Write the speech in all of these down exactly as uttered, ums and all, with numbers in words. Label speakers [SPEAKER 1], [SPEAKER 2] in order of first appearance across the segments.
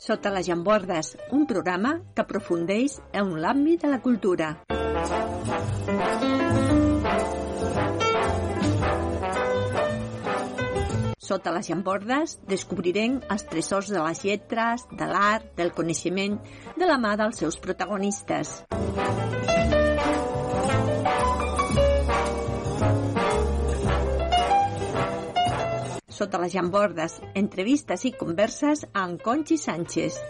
[SPEAKER 1] Sota les llambordes, un programa que aprofundeix en l'àmbit de la cultura. Sota les llambordes descobrirem els tresors de les lletres, de l'art, del coneixement, de la mà dels seus protagonistes. Sota les llambordes, entrevistes i converses amb Conchi Sánchez.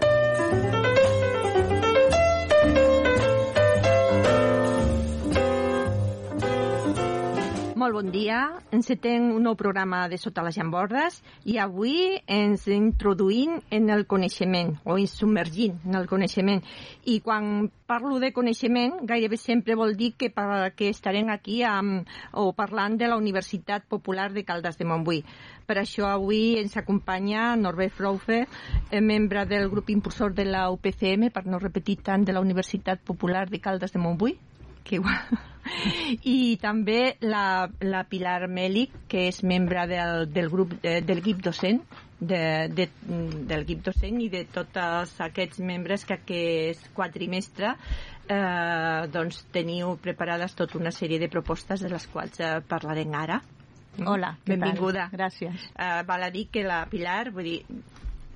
[SPEAKER 1] Molt bon dia, encetem un nou programa de Sota les llambordes i avui ens introduïm en el coneixement, o ens submergim en el coneixement. I quan parlo de coneixement, gairebé sempre vol dir que, que estarem aquí amb, o parlant de la Universitat Popular de Caldes de Montbui. Per això avui ens acompanya Norbert Fraufe, membre del grup impulsor de la U P C M, per no repetir tant, de la Universitat Popular de Caldes de Montbui. Que igual. I també la, la Pilar Mèlic, que és membre del, del grup de, del equip docent de, de, del equip docent i de tots aquests membres que aquest quadrimestre eh, doncs teniu preparades tota una sèrie de propostes de les quals eh, parlarem ara.
[SPEAKER 2] Hola,
[SPEAKER 1] benvinguda.
[SPEAKER 2] Gràcies.
[SPEAKER 1] Eh, val a dir que la Pilar, vull dir,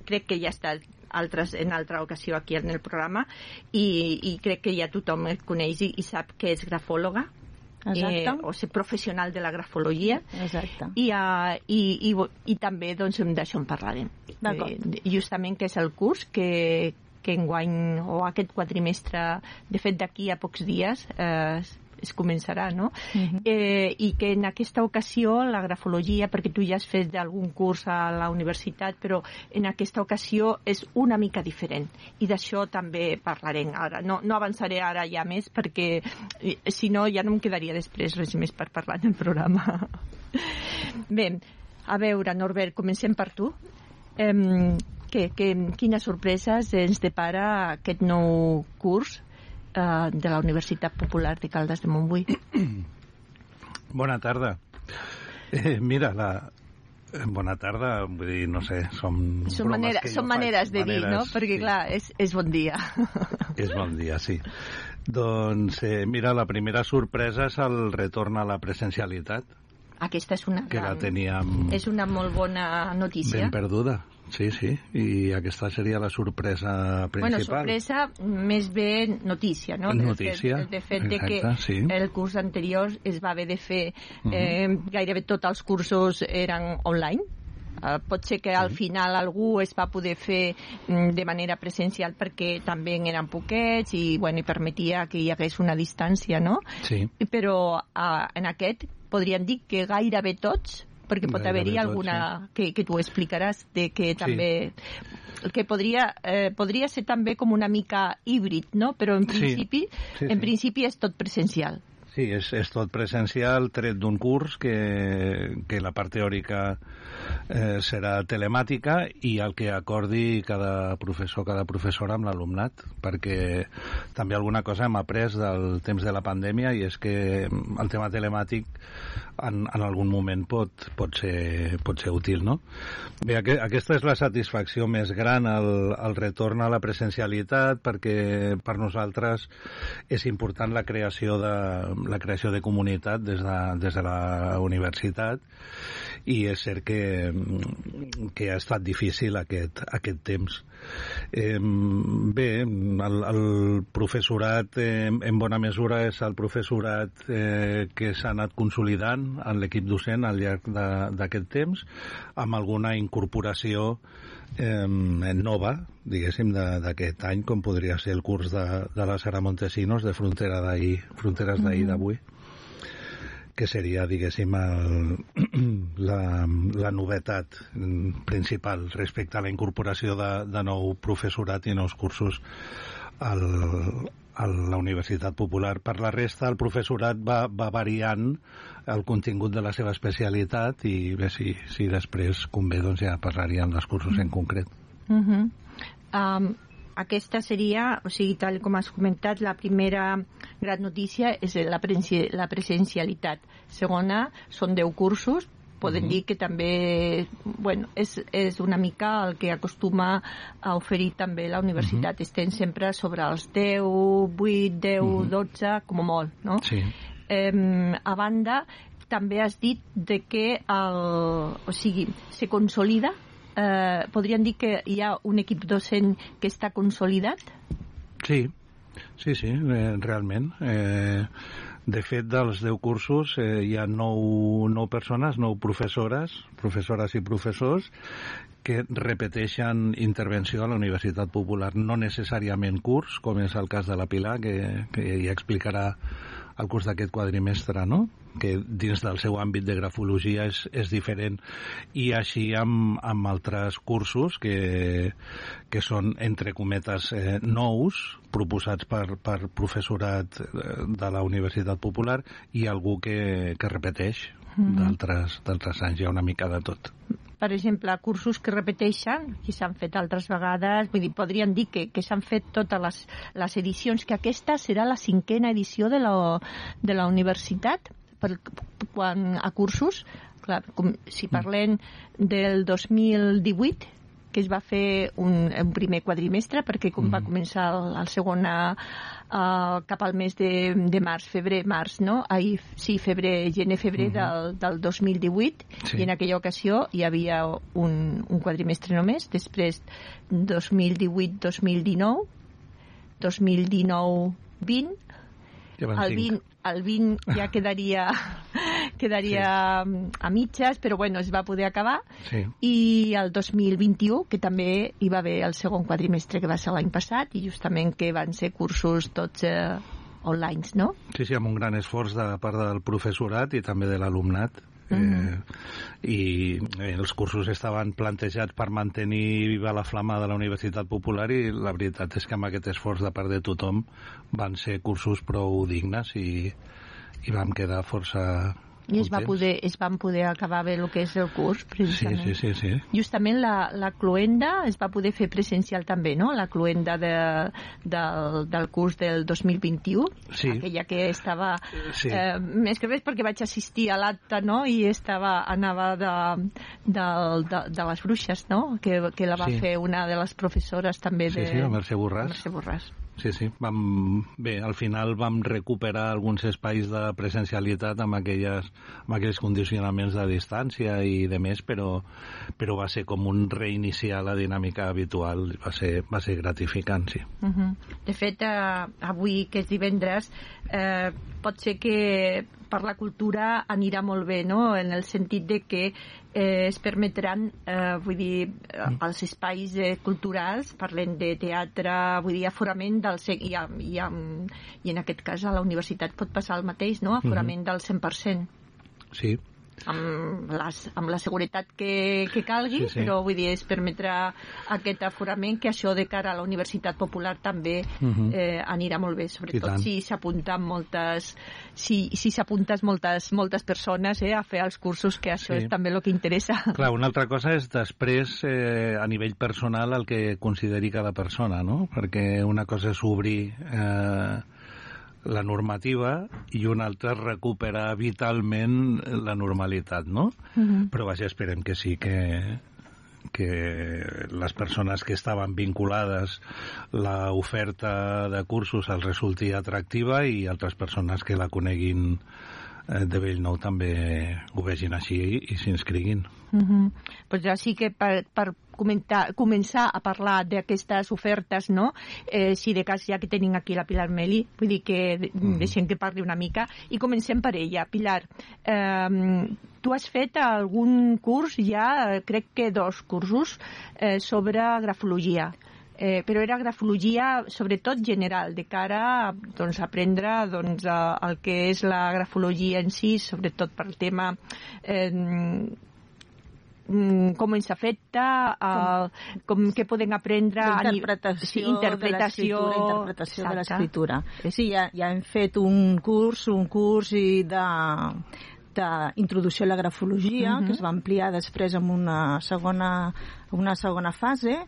[SPEAKER 1] crec que ja està altres, en altra ocasió aquí en el programa i, i crec que ja tothom el coneix i, i sap que és grafòloga. Eh, o ser professional de la grafologia.
[SPEAKER 2] Exacte.
[SPEAKER 1] I, uh, i, i, i també doncs, d'això en parlarem. Eh, justament que és el curs que, que enguany o aquest quadrimestre, de fet d'aquí a pocs dies eh, es començarà, no? Uh-huh. eh, i que en aquesta ocasió la grafologia, perquè tu ja has fet algun curs a la universitat, però en aquesta ocasió és una mica diferent i d'això també parlarem ara. No, no avançaré ara ja més perquè si no ja no em quedaria després res més per parlar en el programa. Bé, a veure, Norbert, comencem per tu. Eh, què, què, quines sorpreses ens depara aquest nou curs de la Universitat Popular de Caldes de Montbui?
[SPEAKER 3] Bona tarda. Eh, mira, la... bona tarda, vull dir, no sé, som...
[SPEAKER 1] Són, manera, són maneres de maneres, dir, no? Perquè, sí. Clar, és, és bon dia.
[SPEAKER 3] És bon dia, sí. Doncs, eh, mira, la primera sorpresa és el retorn a la presencialitat.
[SPEAKER 1] Aquesta és una,
[SPEAKER 3] que la teníem
[SPEAKER 1] és una molt bona notícia.
[SPEAKER 3] Ben perduda. Sí, sí, i aquesta seria la sorpresa principal.
[SPEAKER 1] Bueno, sorpresa, més bé notícia, no?
[SPEAKER 3] Notícia,
[SPEAKER 1] de fet, de
[SPEAKER 3] exacte,
[SPEAKER 1] que
[SPEAKER 3] sí.
[SPEAKER 1] El curs anterior es va haver de fer, eh, uh-huh. gairebé tots els cursos eren online. Uh, pot ser que al final algú es va poder fer mm, de manera presencial perquè també eren poquets i, bueno, i permetia que hi hagués una distància, no?
[SPEAKER 3] Sí.
[SPEAKER 1] Però uh, en aquest podríem dir que gairebé tots, perquè pot haver-hi alguna sí. que, que tu explicaràs de que també sí. que podria, eh, podria ser també com una mica híbrid, no? Però en principi,
[SPEAKER 3] sí. Sí,
[SPEAKER 1] en
[SPEAKER 3] sí.
[SPEAKER 1] principi és tot presencial.
[SPEAKER 3] Sí, és, és tot presencial, tret d'un curs que, que la part teòrica eh, serà telemàtica i el que acordi cada professor, cada professora amb l'alumnat, perquè també alguna cosa hem après del temps de la pandèmia i és que el tema telemàtic en, en algun moment pot, pot, ser, pot ser útil, no? Bé, aqu aquesta és la satisfacció més gran, el, el retorn a la presencialitat, perquè per nosaltres és important la creació de la creació de comunitat des de, des de la universitat i és cert que, que ha estat difícil aquest, aquest temps. Eh, bé, el, el professorat eh, en bona mesura és el professorat eh, que s'ha anat consolidant en l'equip docent al llarg d'aquest temps, amb alguna incorporació eh, nova, diguéssim, d'aquest any, com podria ser el curs de, de la Sara Montesinos de Frontera d'ahir, Fronteres d'ahir d'avui, que seria, diguéssim, el, la, la novetat principal respecte a la incorporació de, de nou professorat i nous cursos al, a la Universitat Popular. Per la resta, el professorat va, va variant el contingut de la seva especialitat i bé, si, si després convé, doncs ja parlaríem dels cursos en concret.
[SPEAKER 1] Uh-huh. um, Aquesta seria, o sigui, tal com has comentat, la primera gran notícia és la, presen la presencialitat. Segona, són deu cursos, podem uh-huh. dir que també bueno, és, és una mica el que acostuma a oferir també la universitat. Uh-huh. Estem sempre sobre els deu, vuit, deu, uh-huh. dotze, com a molt, no?
[SPEAKER 3] Sí.
[SPEAKER 1] Eh, a banda, també has dit de que el, o sigui, se consolida, eh, podríem dir que hi ha un equip docent que està consolidat?
[SPEAKER 3] Sí, sí, sí, eh, realment. Eh, de fet, dels deu cursos eh, hi ha nou, nou persones, nou professores, professores i professors, que repeteixen intervenció a la Universitat Popular, no necessàriament curs, com és el cas de la Pilar, que, que ja explicarà el curs d'aquest quadrimestre, no? Que dins del seu àmbit de grafologia és, és diferent, i així amb, amb altres cursos que, que són, entre cometes, eh, nous, proposats per, per professorat de la Universitat Popular, i algú que, que repeteix mm-hmm. d'altres, d'altres anys, hi ha una mica de tot.
[SPEAKER 1] Per exemple, cursos que repeteixen, que s'han fet altres vegades, vull dir, podríem dir que, que s'han fet totes les, les edicions, que aquesta serà la cinquena edició de la, de la universitat, per, quan a cursos, clar, com, si parlem del dos mil divuit, que es va fer un, un primer quadrimestre, perquè com mm. va començar el, el segon a, a, cap al mes de, de març, febrer, març, no? Ahir, sí, febrer, gener, febrer mm-hmm. del, del dos mil divuit, sí. I en aquella ocasió hi havia un, un quadrimestre només, després dos mil divuit dos mil dinou, dos mil dinou vint, ja el vint, el vint ja quedaria quedaria sí. a mitges, però bueno, es va poder acabar,
[SPEAKER 3] sí.
[SPEAKER 1] I el dos mil vint-i-u, que també hi va haver el segon quadrimestre, que va ser l'any passat, i justament que van ser cursos tots eh, online, no?
[SPEAKER 3] Sí, sí, amb un gran esforç de part del professorat i també de l'alumnat. Mm-hmm. eh, i eh, els cursos estaven plantejats per mantenir viva la flama de la Universitat Popular, i la veritat és que amb aquest esforç de part de tothom van ser cursos prou dignes, i, i vam quedar força
[SPEAKER 1] i es, va poder, es van poder acabar bé el que és el curs, precisament.
[SPEAKER 3] Sí, sí, sí, sí.
[SPEAKER 1] Justament la, la cloenda es va poder fer presencial també, no? La cloenda de, del, del curs del dos mil vint-i-u,
[SPEAKER 3] sí.
[SPEAKER 1] Aquella que estava...
[SPEAKER 3] Sí.
[SPEAKER 1] Eh, més que res perquè vaig assistir a l'acte, no? I estava, anava de, de, de, de les bruixes, no? Que, que la va sí. fer una de les professores també de...
[SPEAKER 3] Sí, sí, la Mercè Borràs.
[SPEAKER 1] Mercè Borràs.
[SPEAKER 3] Sí, sí. Vam, bé, al final vam recuperar alguns espais de presencialitat amb, aquelles, amb aquells condicionaments de distància i de més, però, però va ser com un reiniciar la dinàmica habitual. Va ser, va ser gratificant, sí.
[SPEAKER 1] Uh-huh. De fet, eh, avui, que és divendres, eh, pot ser que per la cultura anirà molt bé, no? En el sentit de que eh, es permetran, eh, vull dir, els espais eh, culturals, parlem de teatre, vull dir, aforament del... I, i, i en aquest cas a la universitat pot passar el mateix, no? Aforament uh-huh. del cent per cent.
[SPEAKER 3] Sí.
[SPEAKER 1] Amb, les, amb la seguretat que, que calgui, sí, sí. Però vull dir, es permetrà aquest aforament, que això de cara a la Universitat Popular també uh-huh. eh, anirà molt bé, sobretot si s'apunten moltes si, si s'apunten moltes, moltes persones eh, a fer els cursos, que això sí. És també el que interessa.
[SPEAKER 3] Clar, una altra cosa és després eh, a nivell personal el que consideri cada persona, no? Perquè una cosa és obrir eh, la normativa i una altra recuperar vitalment la normalitat, no? Uh-huh. Però vaja, esperem que sí, que, que les persones que estaven vinculades l'oferta de cursos els resulti atractiva, i altres persones que la coneguin de bell nou també ho vegin així i, i s'inscriguin.
[SPEAKER 1] Uh-huh. Pues ja sí que per, per comentar, començar a parlar d'aquestes ofertes, no? Eh, si de cas ja que tenim aquí la Pilar Meli, vull dir que uh-huh. deixem que parli una mica i comencem per ella. Pilar, eh, tu has fet algun curs ja, crec que dos cursos, eh, sobre grafologia. Eh, però era grafologia sobretot general, de cara a doncs, aprendre doncs, a, el que és la grafologia en si, sobretot per tema eh, com ens afecta, uh, com què podem aprendre
[SPEAKER 2] interpretació,
[SPEAKER 1] sí, interpretació,
[SPEAKER 2] de interpretació de l'escriptura. Sí, ja, ja hem fet un curs, un curs i de d'introducció a la grafologia, uh-huh. que es va ampliar després en una segona, una segona fase,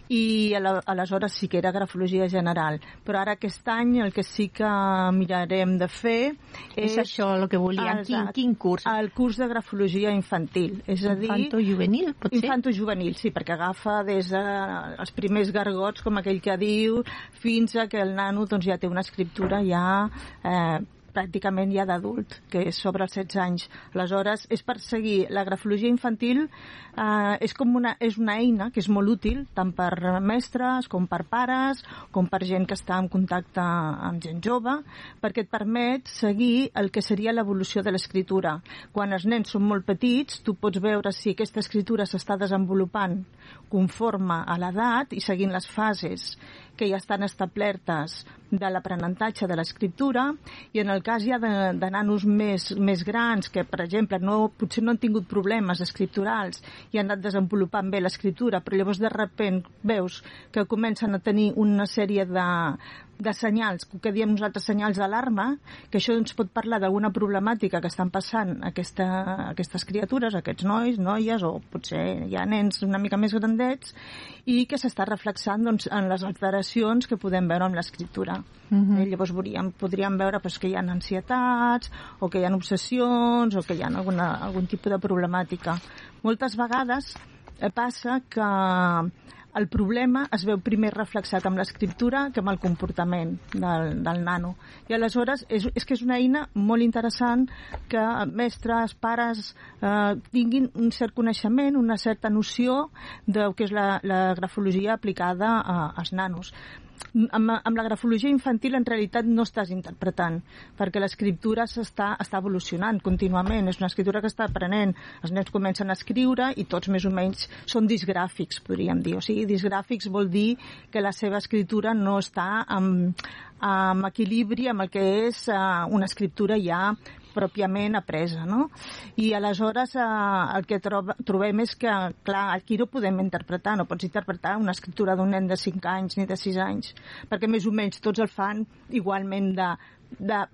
[SPEAKER 2] i aleshores sí que era grafologia general. Però ara aquest any el que sí que mirarem de fer és...
[SPEAKER 1] És això el que volia. Quin, quin curs?
[SPEAKER 2] El curs de grafologia infantil. És a dir...
[SPEAKER 1] Infanto-juvenil, potser?
[SPEAKER 2] Infanto-juvenil, sí, perquè agafa des dels primers gargots, com aquell que diu, fins a que el nano doncs, ja té una escriptura ja... Eh, pràcticament ja d'adult, que és sobre els setze anys. Aleshores, és per seguir. La grafologia infantil eh, és com una, és una eina que és molt útil, tant per mestres, com per pares, com per gent que està en contacte amb gent jove, perquè et permet seguir el que seria l'evolució de l'escriptura. Quan els nens són molt petits, tu pots veure si aquesta escriptura s'està desenvolupant conforme a l'edat i seguint les fases que ja estan establertes de l'aprenentatge de l'escriptura, i en el cas ja de, de nanos més, més grans que, per exemple, no, potser no han tingut problemes escripturals i han anat desenvolupant bé l'escriptura, però llavors de repent veus que comencen a tenir una sèrie de, de senyals, que diem nosaltres senyals d'alarma, que això ens pot parlar d'alguna problemàtica que estan passant aquesta, aquestes criatures, aquests nois, noies, o potser hi ha nens una mica més grandets, i que s'està reflexant doncs, en les alteracions que podem veure amb l'escriptura. Uh-huh. Eh, llavors podríem, podríem veure pues, que hi ha ansietats, o que hi ha obsessions, o que hi ha alguna, algun tipus de problemàtica. Moltes vegades eh, passa que el problema es veu primer reflexat amb l'escriptura que amb el comportament del, del nano. I aleshores és, és que és una eina molt interessant que mestres, pares eh, tinguin un cert coneixement, una certa noció del que és la, la grafologia aplicada a, als nanos. Amb, amb la grafologia infantil en realitat no estàs interpretant, perquè l'escriptura s'està està evolucionant contínuament, és una escriptura que està aprenent, els nens comencen a escriure i tots més o menys són disgràfics, podríem dir. O sigui, disgràfics vol dir que la seva escriptura no està en, en equilibri amb el que és uh, una escriptura ja pròpiament apresa, no? I aleshores eh, el que trob, trobem és que, clar, aquí no podem interpretar, no pots interpretar una escriptura d'un nen de cinc anys ni de sis anys, perquè més o menys tots el fan igualment de, de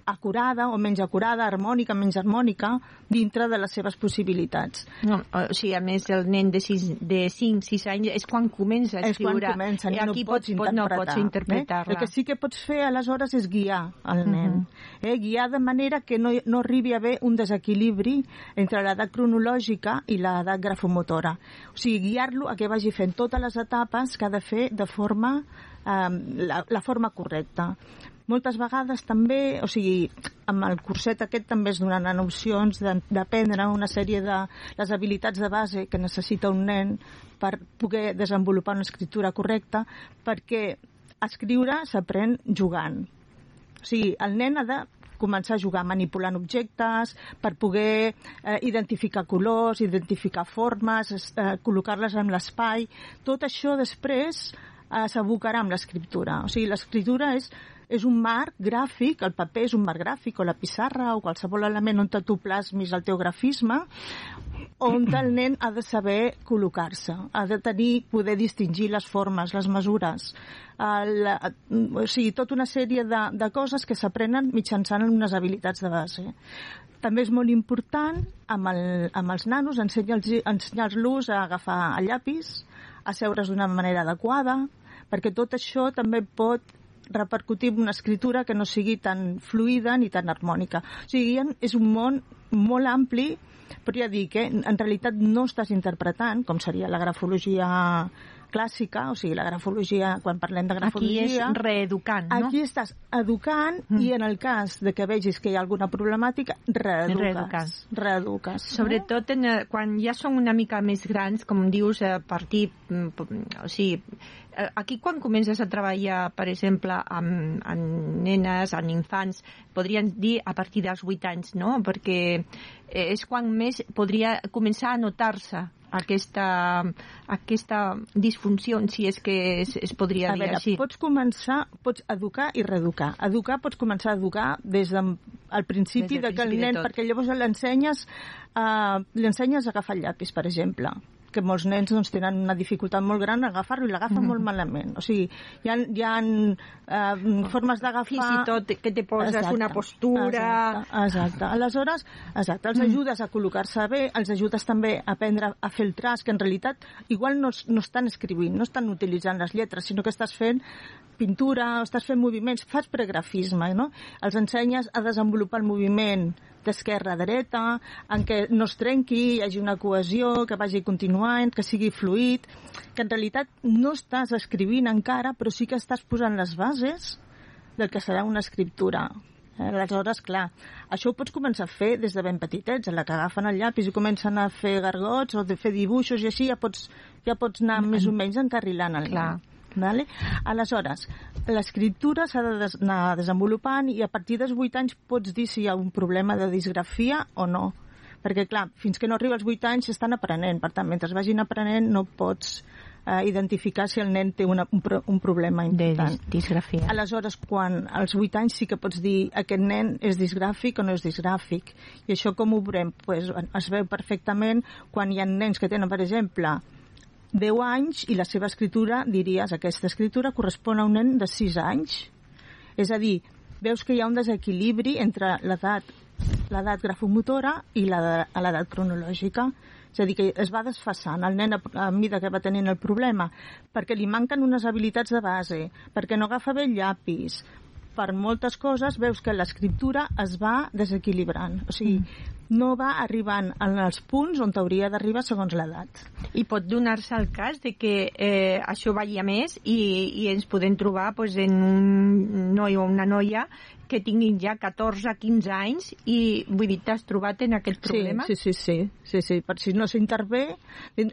[SPEAKER 2] acurada o menys acurada, harmònica, menys harmònica, dintre de les seves possibilitats.
[SPEAKER 1] No, o sigui, a més, el nen de, sis, de cinc sis anys és quan comença a escriure.
[SPEAKER 2] És quan comença,
[SPEAKER 1] i aquí
[SPEAKER 2] no pots,
[SPEAKER 1] pot, no pots interpretar-la.
[SPEAKER 2] Eh? El que sí que pots fer, aleshores, és guiar el nen. Uh-huh. eh? Guiar de manera que no, no arribi a haver un desequilibri entre l'edat cronològica i l'edat grafomotora. O sigui, guiar-lo a que vagi fent totes les etapes que ha de fer de forma, eh, la, la forma correcta. Moltes vegades també, o sigui, amb el curset aquest també es donaran opcions d'aprendre una sèrie de les habilitats de base que necessita un nen per poder desenvolupar una escriptura correcta, perquè escriure s'aprèn jugant. O sigui, el nen ha de començar a jugar manipulant objectes per poder eh, identificar colors, identificar formes, eh, col·locar-les en l'espai. Tot això després eh, s'abocarà amb l'escriptura. O sigui, l'escriptura és és un marc gràfic, el paper és un marc gràfic, o la pissarra, o qualsevol element on tu plasmis el teu grafisme, on el nen ha de saber col·locar-se, ha de tenir, poder distingir les formes, les mesures, el, o sigui, tota una sèrie de, de coses que s'aprenen mitjançant unes habilitats de base. També és molt important, amb, el, amb els nanos, ensenyar-los ensenyar a agafar el llapis, a seure's d'una manera adequada, perquè tot això també pot repercutir en una escriptura que no sigui tan fluida ni tan harmònica. O sigui, és un món molt ampli, però ja dic, eh, en realitat no estàs interpretant, com seria la grafologia clàssica, o sigui, la grafologia, quan parlem de grafologia...
[SPEAKER 1] Aquí és reeducant, no?
[SPEAKER 2] Aquí estàs educant mm. i en el cas de que vegis que hi ha alguna problemàtica, reeduques. Reeducant. Reeduques.
[SPEAKER 1] Sobretot en, quan ja són una mica més grans, com dius, a partir... O sigui, aquí quan comences a treballar, per exemple, amb, amb nenes, amb infants, podríem dir a partir dels vuit anys, no? Perquè és quan més podria començar a notar-se aquesta, aquesta disfunció, si és que es, es podria
[SPEAKER 2] a
[SPEAKER 1] dir
[SPEAKER 2] veure,
[SPEAKER 1] així.
[SPEAKER 2] Pots començar, pots educar i reeducar. Educar pots començar a educar des del de, principi, des de que el nen, perquè llavors l'ensenyes, uh, l'ensenyes a agafar el llapis, per exemple. que molts nens doncs, tenen una dificultat molt gran a agafar-lo i l'agafen mm. molt malament. O sigui, hi ha, hi ha eh, formes d'agafar...
[SPEAKER 1] Fins i tot que te poses exacte, una postura...
[SPEAKER 2] Exacte, exacte. Aleshores, exacte, els ajudes a col·locar-se bé, els ajudes també a aprendre a fer el traç, que en realitat igual no, no estan escrivint, no estan utilitzant les lletres, sinó que estàs fent pintura, estàs fent moviments, fas pregrafisme, no? Els ensenyes a desenvolupar el moviment d'esquerra a dreta, en què no es trenqui, hi hagi una cohesió, que vagi continuant, que sigui fluid, que en realitat no estàs escrivint encara, però sí que estàs posant les bases del que serà una escriptura. Aleshores, clar, això ho pots començar a fer des de ben petitets, en la que agafen el llapis i comencen a fer gargots o de fer dibuixos i així ja pots, ja pots anar més o menys encarrilant el nen. Vale? Aleshores, l'escriptura s'ha de des anar desenvolupant i a partir dels vuit anys pots dir si hi ha un problema de disgrafia o no. Perquè, clar, fins que no arriba als vuit anys s'estan aprenent. Per tant, mentre vagin aprenent no pots eh, identificar si el nen té una, un, pro un problema important.
[SPEAKER 1] De disgrafia.
[SPEAKER 2] Aleshores, quan als vuit anys sí que pots dir aquest nen és disgràfic o no és disgràfic. I això com ho veurem? Pues, es veu perfectament quan hi ha nens que tenen, per exemple, deu anys i la seva escritura, diries, aquesta escritura correspon a un nen de sis anys. És a dir, veus que hi ha un desequilibri entre l'edat l'edat grafomotora i l'edat cronològica. És a dir, que es va desfasant el nen a, a mida que va tenint el problema, perquè li manquen unes habilitats de base, perquè no agafa bé el llapis, per moltes coses veus que l'escriptura es va desequilibrant. O sigui, mm. no va arribant als punts on t'hauria d'arribar segons l'edat.
[SPEAKER 1] I pot donar-se el cas de que eh, això vagi a més i, i ens podem trobar pues, en un noi o una noia que tinguin ja catorze quinze anys i, vull dir, t'has trobat en aquest problema?
[SPEAKER 2] Sí, sí, sí. sí, sí. Per si no s'intervé,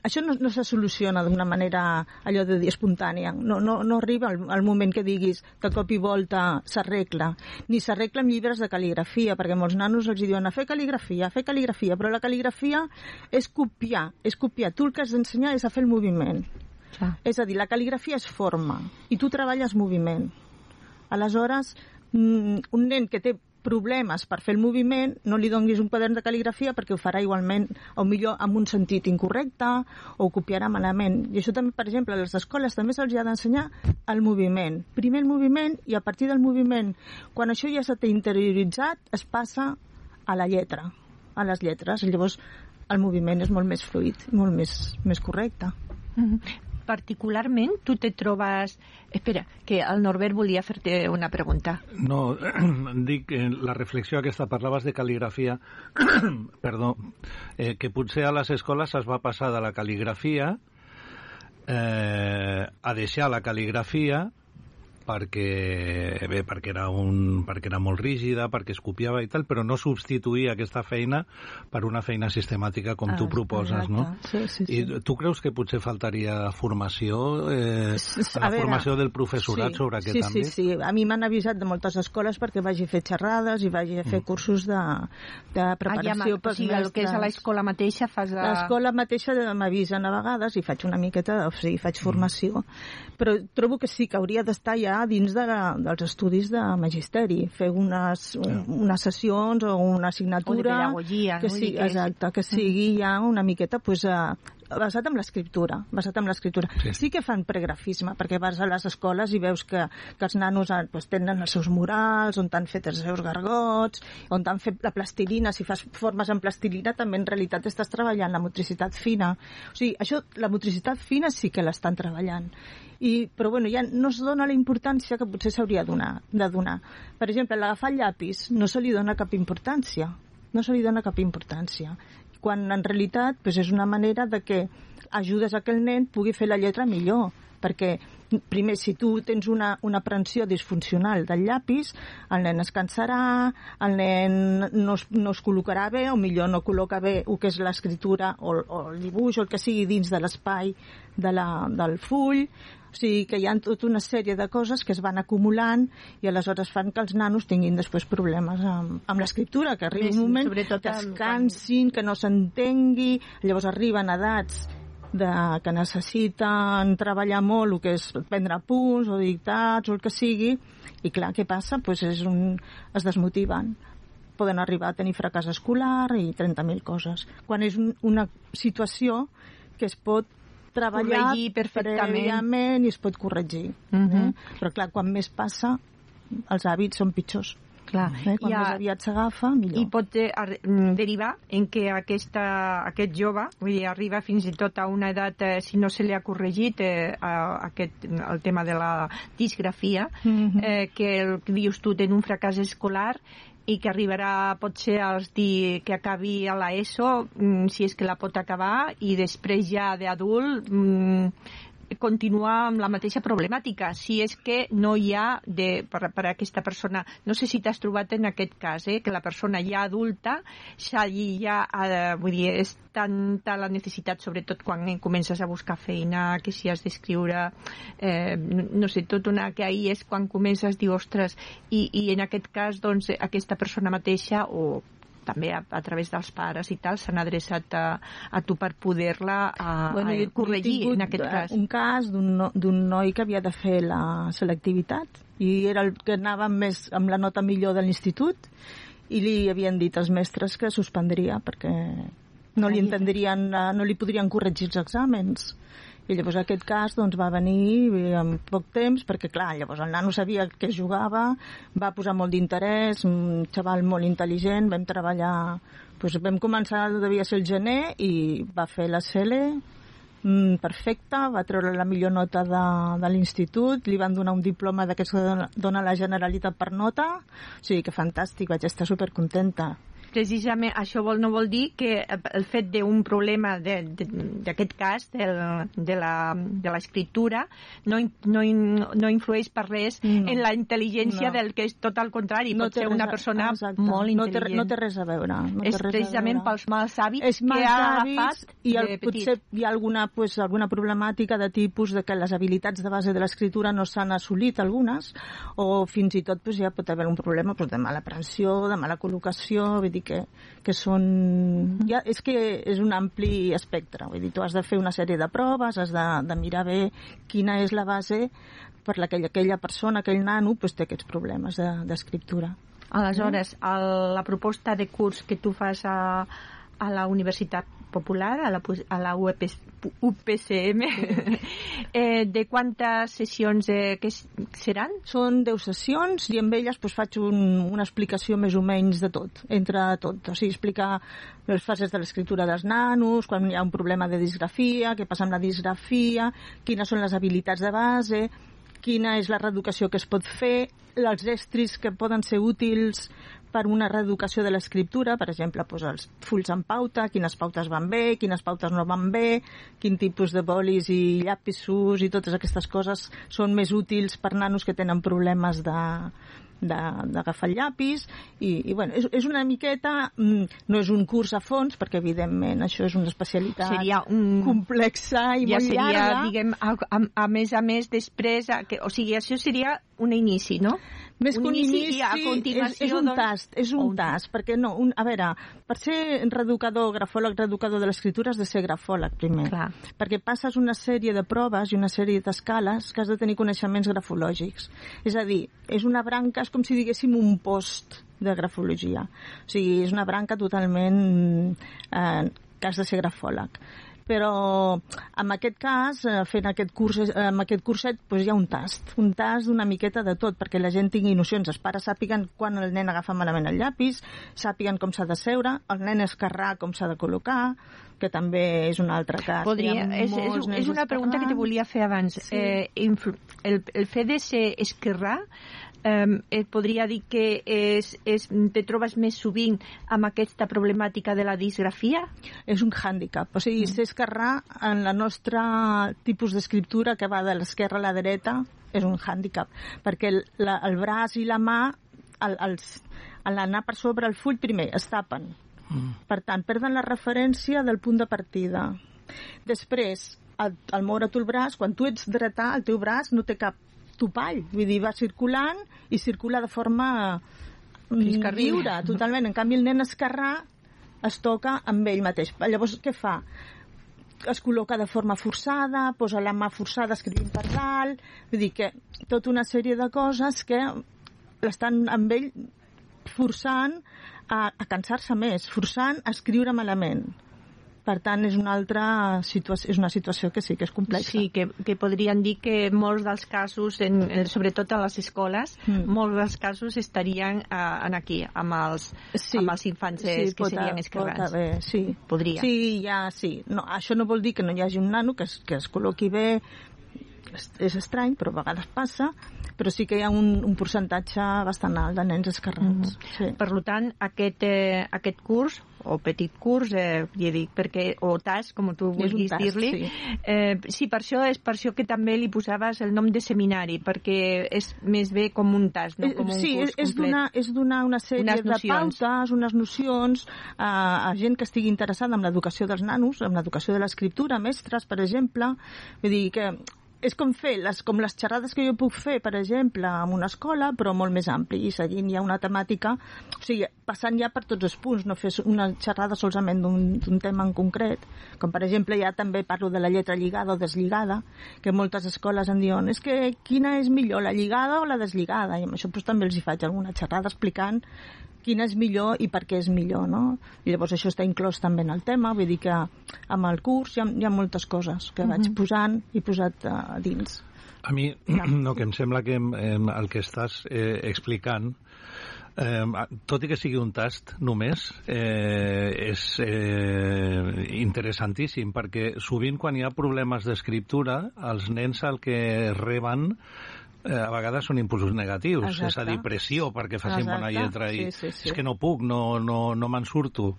[SPEAKER 2] això no, no se soluciona d'una manera allò de dir espontània. No, no, no arriba al, al moment que diguis de cop i volta s'arregla. Ni s'arregla amb llibres de cal·ligrafia, perquè molts nanos els diuen a fer cal·ligrafia, a fer cal·ligrafia, però la cal·ligrafia és copiar, és copiar. Tu el que has d'ensenyar és a fer el moviment.
[SPEAKER 1] Ah.
[SPEAKER 2] És a dir, la cal·ligrafia és forma i tu treballes moviment. Aleshores, un nen que té problemes per fer el moviment, no li donguis un quadern de cal·ligrafia perquè ho farà igualment, o millor amb un sentit incorrecte, o ho copiarà malament. I això també, per exemple, a les escoles també se'ls ha d'ensenyar el moviment. Primer el moviment i a partir del moviment, quan això ja s'ha interioritzat, es passa a la lletra, a les lletres. Llavors el moviment és molt més fluid, molt més, més correcte.
[SPEAKER 1] Mm-hmm. Particularment, tu te trobes... Espera, que el Norbert volia fer-te una pregunta.
[SPEAKER 3] No, dic que la reflexió aquesta, parlaves de cal·ligrafia, perdó, eh, que potser a les escoles es va passar de la cal·ligrafia eh, a deixar la cal·ligrafia perquè, bé, perquè era un, perquè era molt rígida, perquè es copiava i tal, però no substituir aquesta feina per una feina sistemàtica com ah, tu proposes, exacte. No?
[SPEAKER 2] Sí, sí, sí.
[SPEAKER 3] I tu creus que potser faltaria formació, eh, la veure, formació del professorat
[SPEAKER 2] sí,
[SPEAKER 3] sobre aquest
[SPEAKER 2] sí,
[SPEAKER 3] àmbit?
[SPEAKER 2] Sí, sí, a mi m'han avisat de moltes escoles perquè vagi a fer xerrades i vagi a fer mm. cursos de, de preparació
[SPEAKER 1] ah, ja, pels o sigui, mestres. El que és a l'escola mateixa fas... A...
[SPEAKER 2] L'escola mateixa m'avisen a vegades i faig una miqueta, o sigui, faig formació. Mm. Però trobo que sí, que hauria d'estar ja dins de la, dels estudis de magisteri, fer unes, un, unes sessions o una assignatura...
[SPEAKER 1] O de pedagogia,
[SPEAKER 2] que
[SPEAKER 1] no?
[SPEAKER 2] Sí, exacte, que sigui ja una miqueta pues, uh, basat en l'escriptura. Basat en l'escriptura. Sí. sí que fan pregrafisme, perquè vas a les escoles i veus que, que els nanos pues, tenen els seus murals, on t'han fet els seus gargots, on t'han fet la plastilina. Si fas formes en plastilina, també en realitat estàs treballant la motricitat fina. O sigui, això, la motricitat fina sí que l'estan treballant. I, però bueno, ja no es dona la importància que potser s'hauria de donar. Per exemple, l'agafar el llapis no se li dona cap importància. No se li dona cap importància. Quan en realitat pues, és una manera de que ajudes a que el nen pugui fer la lletra millor. Perquè, primer, si tu tens una, una aprensió disfuncional del llapis, el nen es cansarà, el nen no es, no es col·locarà bé, o millor no col·loca bé el que és l'escriptura o, o el dibuix, o el que sigui dins de l'espai de la, del full. O sigui que hi ha tota una sèrie de coses que es van acumulant i aleshores fan que els nanos tinguin després problemes amb, amb l'escriptura, que arriba un moment que es cansin, que no s'entengui, llavors arriben edats de, que necessiten treballar molt, el que és prendre punts o dictats o el que sigui, i clar, què passa? Pues és un, es desmotiven. Poden arribar a tenir fracàs escolar i trenta mil coses. Quan és un, una situació que es pot treballar prèviament i es pot corregir. Uh-huh. eh? Però clar, quan més passa, els hàbits són pitjors.
[SPEAKER 1] Clar.
[SPEAKER 2] Eh? Quan ha, més aviat s'agafa, millor.
[SPEAKER 1] I pot eh, derivar en que aquesta, aquest jove, vull dir, arriba fins i tot a una edat, eh, si no se li ha corregit eh, aquest, el tema de la disgrafia, uh-huh. eh, que el que dius tu, ten un fracàs escolar i que arribarà potser als dir que acabi a l'ESO, mm, si és que la pot acabar, i després ja d'adult mm, continuar amb la mateixa problemàtica, si és que no hi ha de, per, per a aquesta persona, no sé si t'has trobat en aquest cas, eh, que la persona ja adulta ja, ja eh, vull dir, és tanta la necessitat, sobretot quan eh, comences a buscar feina, que si has d'escriure eh, no, no sé, tot una que ahir és quan comences a dir, ostres, i, i en aquest cas doncs aquesta persona mateixa o també a, a través dels pares i tal, s'han adreçat a, a tu per poder-la a, bueno, a corregir, en aquest cas.
[SPEAKER 2] Un cas d'un no, d'un noi que havia de fer la selectivitat i era el que anava més amb la nota millor de l'institut i li havien dit als mestres que suspendria perquè no li entendrien, no li podrien corregir els exàmens. I llavors aquest cas doncs, va venir en poc temps, perquè clar, llavors el nano sabia que jugava, va posar molt d'interès, un xaval molt intel·ligent, vam treballar, doncs vam començar, devia ser el gener, i va fer la C L E perfecta, va treure la millor nota de, de l'institut, li van donar un diploma d'aquests que dona la Generalitat per nota, o sigui que fantàstic, vaig estar supercontenta.
[SPEAKER 1] Precisament això vol, no vol dir que el fet d'un problema d'aquest cas, de, de l'escriptura, no, no, no influeix per res no. en la intel·ligència no. del que és tot al contrari, no pot ser una persona exacte. molt intel·ligent.
[SPEAKER 2] No té, no té res a veure. No
[SPEAKER 1] és precisament pels mals hàbits
[SPEAKER 2] és
[SPEAKER 1] que ha agafat
[SPEAKER 2] i el,
[SPEAKER 1] de petit.
[SPEAKER 2] Potser hi ha alguna, pues, alguna problemàtica de tipus de que les habilitats de base de l'escriptura no s'han assolit algunes, o fins i tot pues, ja pot haver un problema pues, de mala aprensió, de mala col·locació, vull dir que, que són... Ja, és que és un ampli espectre, vull dir, tu has de fer una sèrie de proves, has de, de mirar bé quina és la base per la que aquella persona, aquell nano, pues, té aquests problemes d'escriptura. De,
[SPEAKER 1] Aleshores, el, la proposta de curs que tu fas a, a la Universitat Popular, a la, a la U P C M, eh, de quantes sessions eh, que seran?
[SPEAKER 2] Són deu sessions i amb elles pues, faig un, una explicació més o menys de tot, entre tot. O sigui, explicar les fases de l'escriptura dels nanos, quan hi ha un problema de disgrafia, què passa amb la disgrafia, quines són les habilitats de base, quina és la reeducació que es pot fer, els estris que poden ser útils per una reeducació de l'escriptura, per exemple, doncs els fulls en pauta, quines pautes van bé, quines pautes no van bé, quin tipus de bolis i llapisos i totes aquestes coses són més útils per nanos que tenen problemes de d'agafar el llapis i, i bueno, és, és una miqueta no és un curs a fons perquè evidentment això és una especialitat
[SPEAKER 1] seria un...
[SPEAKER 2] complexa i
[SPEAKER 1] ja
[SPEAKER 2] molt
[SPEAKER 1] seria,
[SPEAKER 2] llarga
[SPEAKER 1] diguem, a, a, a més a més després, a, que, o sigui, això seria un inici, no?
[SPEAKER 2] Més
[SPEAKER 1] un
[SPEAKER 2] que un
[SPEAKER 1] inici,
[SPEAKER 2] inici,
[SPEAKER 1] a continuació,
[SPEAKER 2] és, és un
[SPEAKER 1] doncs...
[SPEAKER 2] tast, és un, un tast, perquè no, un, a veure, per ser reeducador, grafòleg, reeducador de l'escriptura has de ser grafòleg primer,
[SPEAKER 1] clar. Perquè
[SPEAKER 2] passes una sèrie de proves i una sèrie d'escales que has de tenir coneixements grafològics. És a dir, és una branca, és com si diguéssim un post de grafologia. O sigui, és una branca totalment eh, que has de ser grafòleg. Però en aquest cas, fent aquest curs, en aquest curset, doncs hi ha un tast, un tast d'una miqueta de tot, perquè la gent tingui nocions. Els pares sàpiguen quan el nen agafa malament el llapis, sàpiguen com s'ha de seure, el nen esquerrà com s'ha de col·locar, que també és un altre cas.
[SPEAKER 1] Podria, és, és, és una pregunta que te volia fer abans. Sí. Eh, el, el fet de ser esquerrà, eh, et podria dir que és, és, te trobes més sovint amb aquesta problemàtica de la disgrafia?
[SPEAKER 2] És un hàndicap. O sigui, mm. ser esquerrà en la nostra tipus d'escriptura que va de l'esquerra a la dreta és un hàndicap, perquè el, la, el braç i la mà el, els, a l'anar per sobre el full primer es tapen. Mm. Per tant, perden la referència del punt de partida. Després, al, al moure tu el braç, quan tu ets dretà, el teu braç no té cap topall, vull dir, va circulant i circula de forma lliure, totalment. En canvi, el nen esquerrà es toca amb ell mateix. Llavors, què fa? Es col·loca de forma forçada, posa la mà forçada escrivint per dalt, vull dir que tota una sèrie de coses que l'estan amb ell forçant a, a cansar-se més, forçant a escriure malament. Per tant, és una altra situació, és una situació que sí que és complexa.
[SPEAKER 1] Sí, que, que podrien dir que molts dels casos, en, sobretot a les escoles, mm. molts dels casos estarien uh, en aquí, amb els, sí. amb els infants sí, que pot, serien esquerrans.
[SPEAKER 2] Pot haver, sí.
[SPEAKER 1] Podria.
[SPEAKER 2] Sí, ja, sí. No, això no vol dir que no hi hagi un nano que es, que es col·loqui bé, és, és estrany, però a vegades passa, però sí que hi ha un, un percentatge bastant alt de nens esquerrans. Mm. Sí.
[SPEAKER 1] Per tant, aquest, eh, aquest curs, o petit curs, eh, ja dic, perquè, o tast, com tu vulguis dir-li, sí. Eh, sí, per això és per això que també li posaves el nom de seminari, perquè és més bé com un tast, no com un
[SPEAKER 2] sí,
[SPEAKER 1] curs
[SPEAKER 2] és
[SPEAKER 1] complet.
[SPEAKER 2] Sí, és donar una sèrie de pautes, unes nocions a, a gent que estigui interessada en l'educació dels nanos, en l'educació de l'escriptura, mestres, per exemple. Vull dir que és com fer les, com les xerrades que jo puc fer, per exemple, en una escola, però molt més ampli, i seguint ja una temàtica, o sigui, passant ja per tots els punts, no fer una xerrada solament d'un tema en concret, com per exemple ja també parlo de la lletra lligada o deslligada, que moltes escoles em diuen, és que quina és millor, la lligada o la deslligada? I amb això doncs, també els hi faig alguna xerrada explicant quina és millor i per què és millor, no? I llavors això està inclòs també en el tema, vull dir que amb el curs hi ha, hi ha moltes coses que vaig posant i posat uh, dins.
[SPEAKER 3] A mi, no, que em sembla que eh, el que estàs eh, explicant, eh, tot i que sigui un tast només, eh, és eh, interessantíssim, perquè sovint quan hi ha problemes d'escriptura, els nens el que reben a vegades són impulsos negatius. Exacte. És a dir, pressió perquè facin Exacte. Bona lletra i sí, sí, sí. és que no puc, no, no, no me'n surto.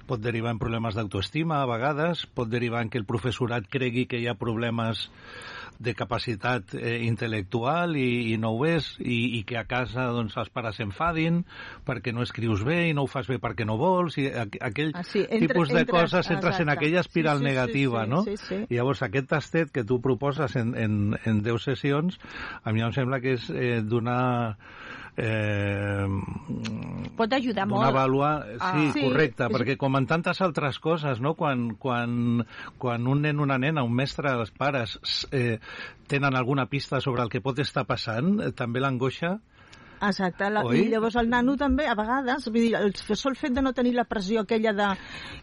[SPEAKER 3] Pot derivar en problemes d'autoestima a vegades, pot derivar en que el professorat cregui que hi ha problemes de capacitat eh, intel·lectual i, i no ho és, i, i que a casa doncs, els pares s'enfadin perquè no escrius bé i no ho fas bé perquè no vols, i a, aquell ah, sí. Entre, tipus de entres, coses entres exacte. En aquella espiral sí, sí, negativa, sí, sí, no? Sí, sí. I llavors aquest tastet que tu proposes en, en, en deu sessions, a mi em sembla que és eh, donar eh,
[SPEAKER 1] pot ajudar molt
[SPEAKER 3] donar vàlua, sí, ah, sí, correcte, sí. Perquè com en tantes altres coses, no? Quan, quan, quan un nen, una nena, un mestre, els pares eh, tenen alguna pista sobre el que pot estar passant, eh, també l'angoixa.
[SPEAKER 2] Exacte, la, i llavors el nano també, a vegades, vull dir, el sol fet de no tenir la pressió aquella de,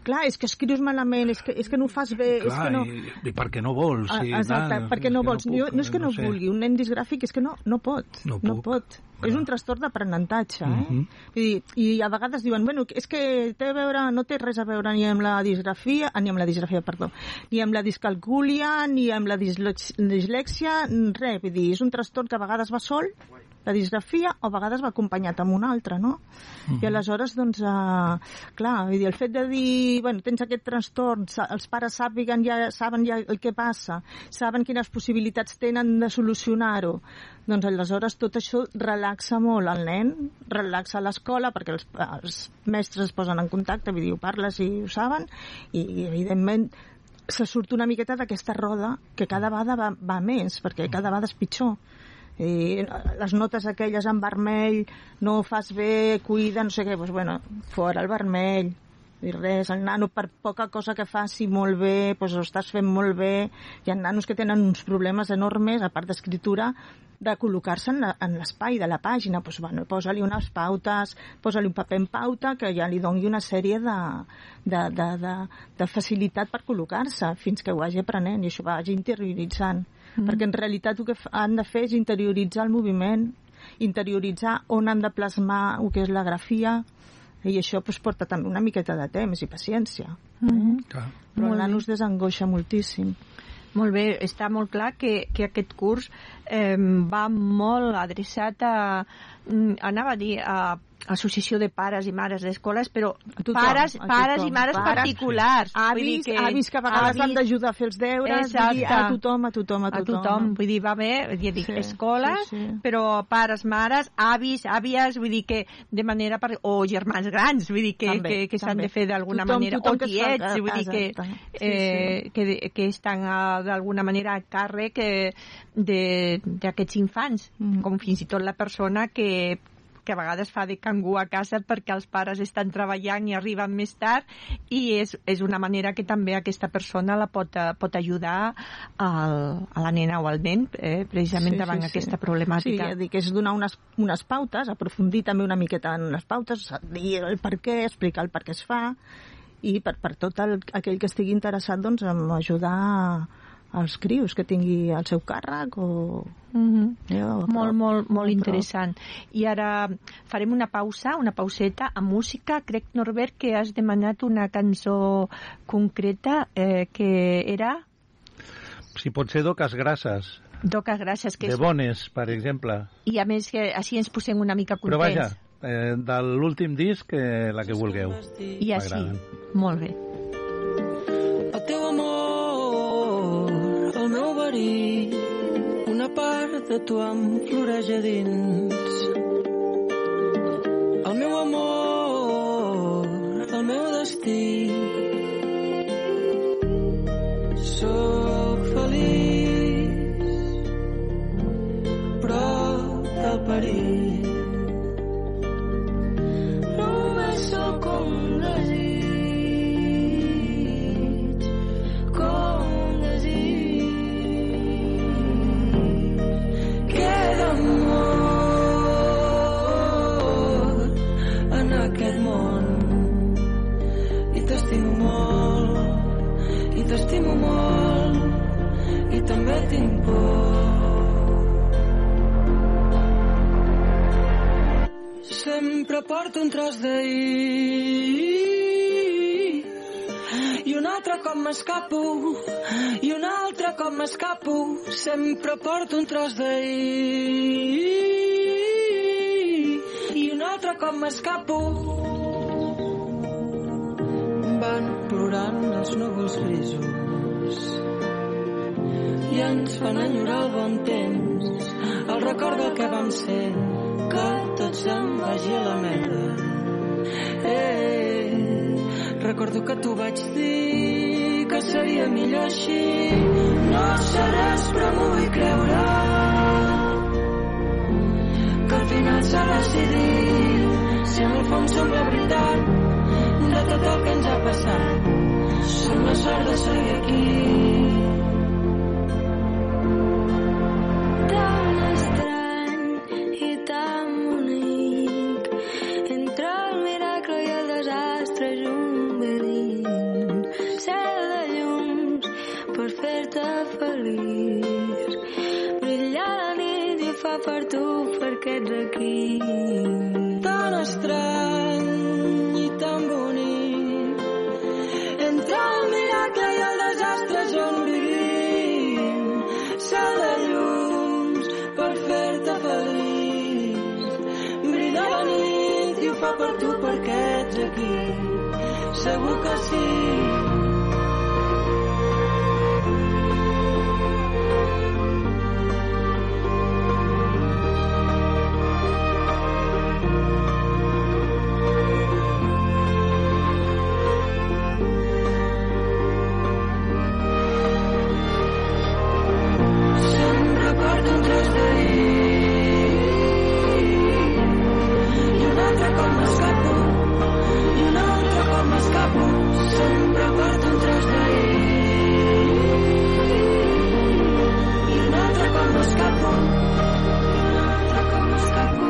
[SPEAKER 2] clar, és que escrius malament, és que, és que no ho fas bé, clar, és que no...
[SPEAKER 3] I, i perquè no vols. Sí,
[SPEAKER 2] exacte,
[SPEAKER 3] nan,
[SPEAKER 2] perquè no vols. No, puc, no és que no, no
[SPEAKER 3] sé.
[SPEAKER 2] Vulgui, un nen disgràfic és que no, no pot,
[SPEAKER 3] no,
[SPEAKER 2] no pot. És un trastorn d'aprenentatge, eh?
[SPEAKER 3] Uh-huh.
[SPEAKER 2] Vull dir, i a vegades diuen, bueno, és que té a veure, no té res a veure ni amb la disgrafia, ni amb la disgrafia, perdó, ni amb la discalcúlia, ni amb la dislèxia, res, vull dir, és un trastorn que a vegades va sol, la disgrafia, o a vegades va acompanyat amb una altra, no? Uh-huh. I aleshores, doncs, uh, clar, vull dir, el fet de dir, bueno, tens aquest trastorn, els pares sàpiguen ja, saben ja el que passa, saben quines possibilitats tenen de solucionar-ho, doncs aleshores tot això relaxa molt el nen, relaxa l'escola, perquè els, els mestres es posen en contacte, vull dir, ho parles i ho saben, i, i evidentment se surt una miqueta d'aquesta roda que cada vegada va, va més, perquè cada vegada és pitjor. I les notes aquelles en vermell, no ho fas bé, cuida, no sé què, doncs bueno, fora el vermell, i res, el nano per poca cosa que faci molt bé, doncs ho estàs fent molt bé. Hi ha nanos que tenen uns problemes enormes, a part d'escriptura, de col·locar-se en, en l'espai de la pàgina, doncs bueno, posa-li unes pautes, posa-li un paper en pauta que ja li doni una sèrie de, de, de, de, de facilitat per col·locar-se fins que ho vagi aprenent i això ho vagi interioritzant. Mm. Perquè en realitat el que han de fer és interioritzar el moviment, interioritzar on han de plasmar el que és la grafia, i això pues, porta també una miqueta de temps i paciència.
[SPEAKER 1] Mm-hmm.
[SPEAKER 3] Clar.
[SPEAKER 2] Però el nano es desangoixa moltíssim.
[SPEAKER 1] Molt bé, està molt clar que, que aquest curs eh, va molt adreçat a, anava a dir, a associació de pares i mares d'escoles, però tothom, pares, pares i mares pares,
[SPEAKER 2] Sí.
[SPEAKER 1] particulars.
[SPEAKER 2] Avis, que, avis que a vegades avis, han d'ajudar a fer els deures, vull dir, a tothom, a tothom, a tothom.
[SPEAKER 1] A tothom, vull dir, va bé, ja dic, sí, escoles, sí, sí. Però pares, mares, avis, àvies, vull dir que de manera, per, o germans grans, vull dir que, també, que, que s'han de fer d'alguna manera, tothom o tiets, vull dir que, sí, eh, sí. que, que estan d'alguna manera a càrrec d'aquests infants, mm. com fins i tot la persona que que a vegades fa de cangú a casa perquè els pares estan treballant i arriben més tard, i és, és una manera que també aquesta persona la pot, pot ajudar al, a la nena o al nen, eh, precisament sí, davant sí, aquesta
[SPEAKER 2] sí.
[SPEAKER 1] problemàtica.
[SPEAKER 2] Sí, ja dic, és donar unes, unes pautes, aprofundir també una miqueta en les pautes, dir el per què, explicar el per què es fa, i per, per tot el, aquell que estigui interessat doncs, en ajudar als crios que tingui el seu càrrec o...
[SPEAKER 1] Mm-hmm.
[SPEAKER 2] jo,
[SPEAKER 1] molt, molt, molt
[SPEAKER 2] però...
[SPEAKER 1] interessant. I ara farem una pausa, una pauseta amb música. Crec, Norbert, que has demanat una cançó concreta eh, que era...
[SPEAKER 3] Si pot ser d'Oques Grasses.
[SPEAKER 1] D'Oques Grasses. Que
[SPEAKER 3] de
[SPEAKER 1] és...
[SPEAKER 3] Bones, per exemple.
[SPEAKER 1] I a més, que així ens posem una mica contents.
[SPEAKER 3] Però vaja, eh, de l'últim disc, eh, la que vulgueu.
[SPEAKER 1] I així, molt bé.
[SPEAKER 4] El teu amor, el meu verí, una part de tu em floreix a dins. El meu amor, el meu destí. Soc feliç, prop del perill. Només sóc com un desig, com un desig. Queda amor en aquest món i t'estimo molt, i t'estimo molt, i també tinc por. Sempre porto un tros d'ahir i un altre cop m'escapo, i un altre cop m'escapo. Sempre porto un tros d'ahir i un altre cop m'escapo. Van plorant els núvols grisos i ens fan enyorar el bon temps, el record del que vam ser, que tot se'n vagi a la merda. Eh, recordo que t'ho vaig dir, que seria millor així. No seràs, però m'ho vull creure, que al final s'ha decidit, si en el fons som la veritat de tot el que ens ha passat. Som la sort de seguir aquí.
[SPEAKER 5] Tan estrany i tan bonic, entre el miracle i el desastre junt venint, cel de llums per fer-te feliç, brillar la nit i fa per tu perquè ets aquí.
[SPEAKER 4] Tan estrany i tan bonic, entre el miracle i el desastre junt vivim, cel de llums per fer-te feliç, brilla la nit i ho fa per tu perquè ets aquí, segur que sí. Sempre porto un tros d'ahir i un altre cop m'escapo, i un altre cop m'escapo. Sempre porto un tros d'ahir i un altre cop m'escapo, i un altre cop m'escapo.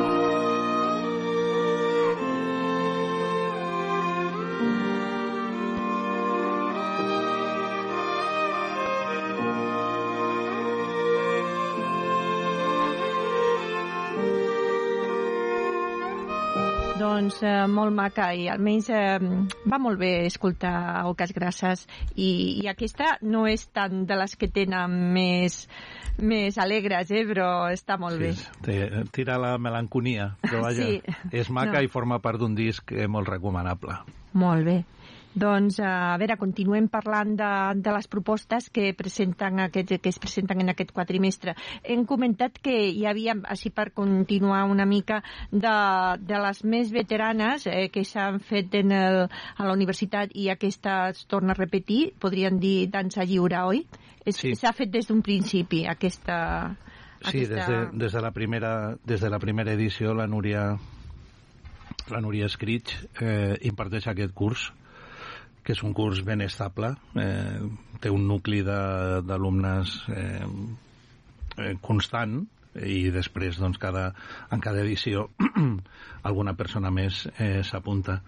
[SPEAKER 1] Doncs eh, molt maca i almenys eh, va molt bé escoltar Oques Grasses i, i aquesta no és tant de les que tenen més, més alegres, eh, però està molt
[SPEAKER 3] Sí,
[SPEAKER 1] bé.
[SPEAKER 3] té- tira la melanconia, però vaja,
[SPEAKER 1] Sí.
[SPEAKER 3] és maca
[SPEAKER 1] No.
[SPEAKER 3] i forma part d'un disc eh, molt recomanable.
[SPEAKER 1] Molt bé. Doncs, a veure, continuem parlant de, de les propostes que presenten aquests, que es presenten en aquest quadrimestre. Hem comentat que hi havia, així per continuar una mica, de, de les més veteranes eh, que s'han fet en el, a la universitat i aquesta es torna a repetir, podríem dir dansa lliure, oi? És-
[SPEAKER 3] Sí.
[SPEAKER 1] S'ha fet des d'un principi, aquesta...
[SPEAKER 3] Sí, des de, des de la primera des de la primera edició la Núria la Núria Escrits eh, imparteix aquest curs, que és un curs ben estable, eh, té un nucli de- d'alumnes eh, eh, constant i després doncs, cada, en cada edició alguna persona més eh, s'apunta.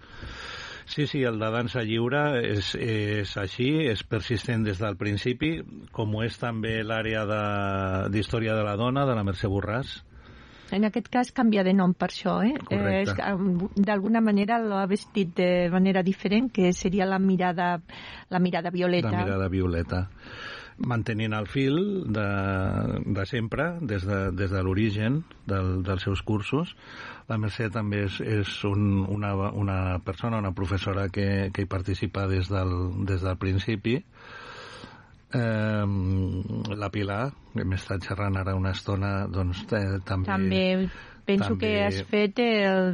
[SPEAKER 3] Sí, sí, el de dansa lliure és, és així, és persistent des del principi, com ho és també l'àrea de- d'història de, de la dona, de la Mercè Borràs.
[SPEAKER 1] En aquest cas canvia de nom per això, eh?
[SPEAKER 3] Correcte.
[SPEAKER 1] Eh, és que, d'alguna manera l'ha vestit de manera diferent, que seria la mirada, la mirada violeta.
[SPEAKER 3] La mirada violeta. Mantenint el fil de, de sempre, des de, des de l'origen del, dels seus cursos. La Mercè també és, és un, una, una persona, una professora que, que hi participa des del, des del principi. Eh, la Pilar, hem estat xerrant ara una estona, doncs eh, també...
[SPEAKER 1] També penso
[SPEAKER 3] també,
[SPEAKER 1] que has fet el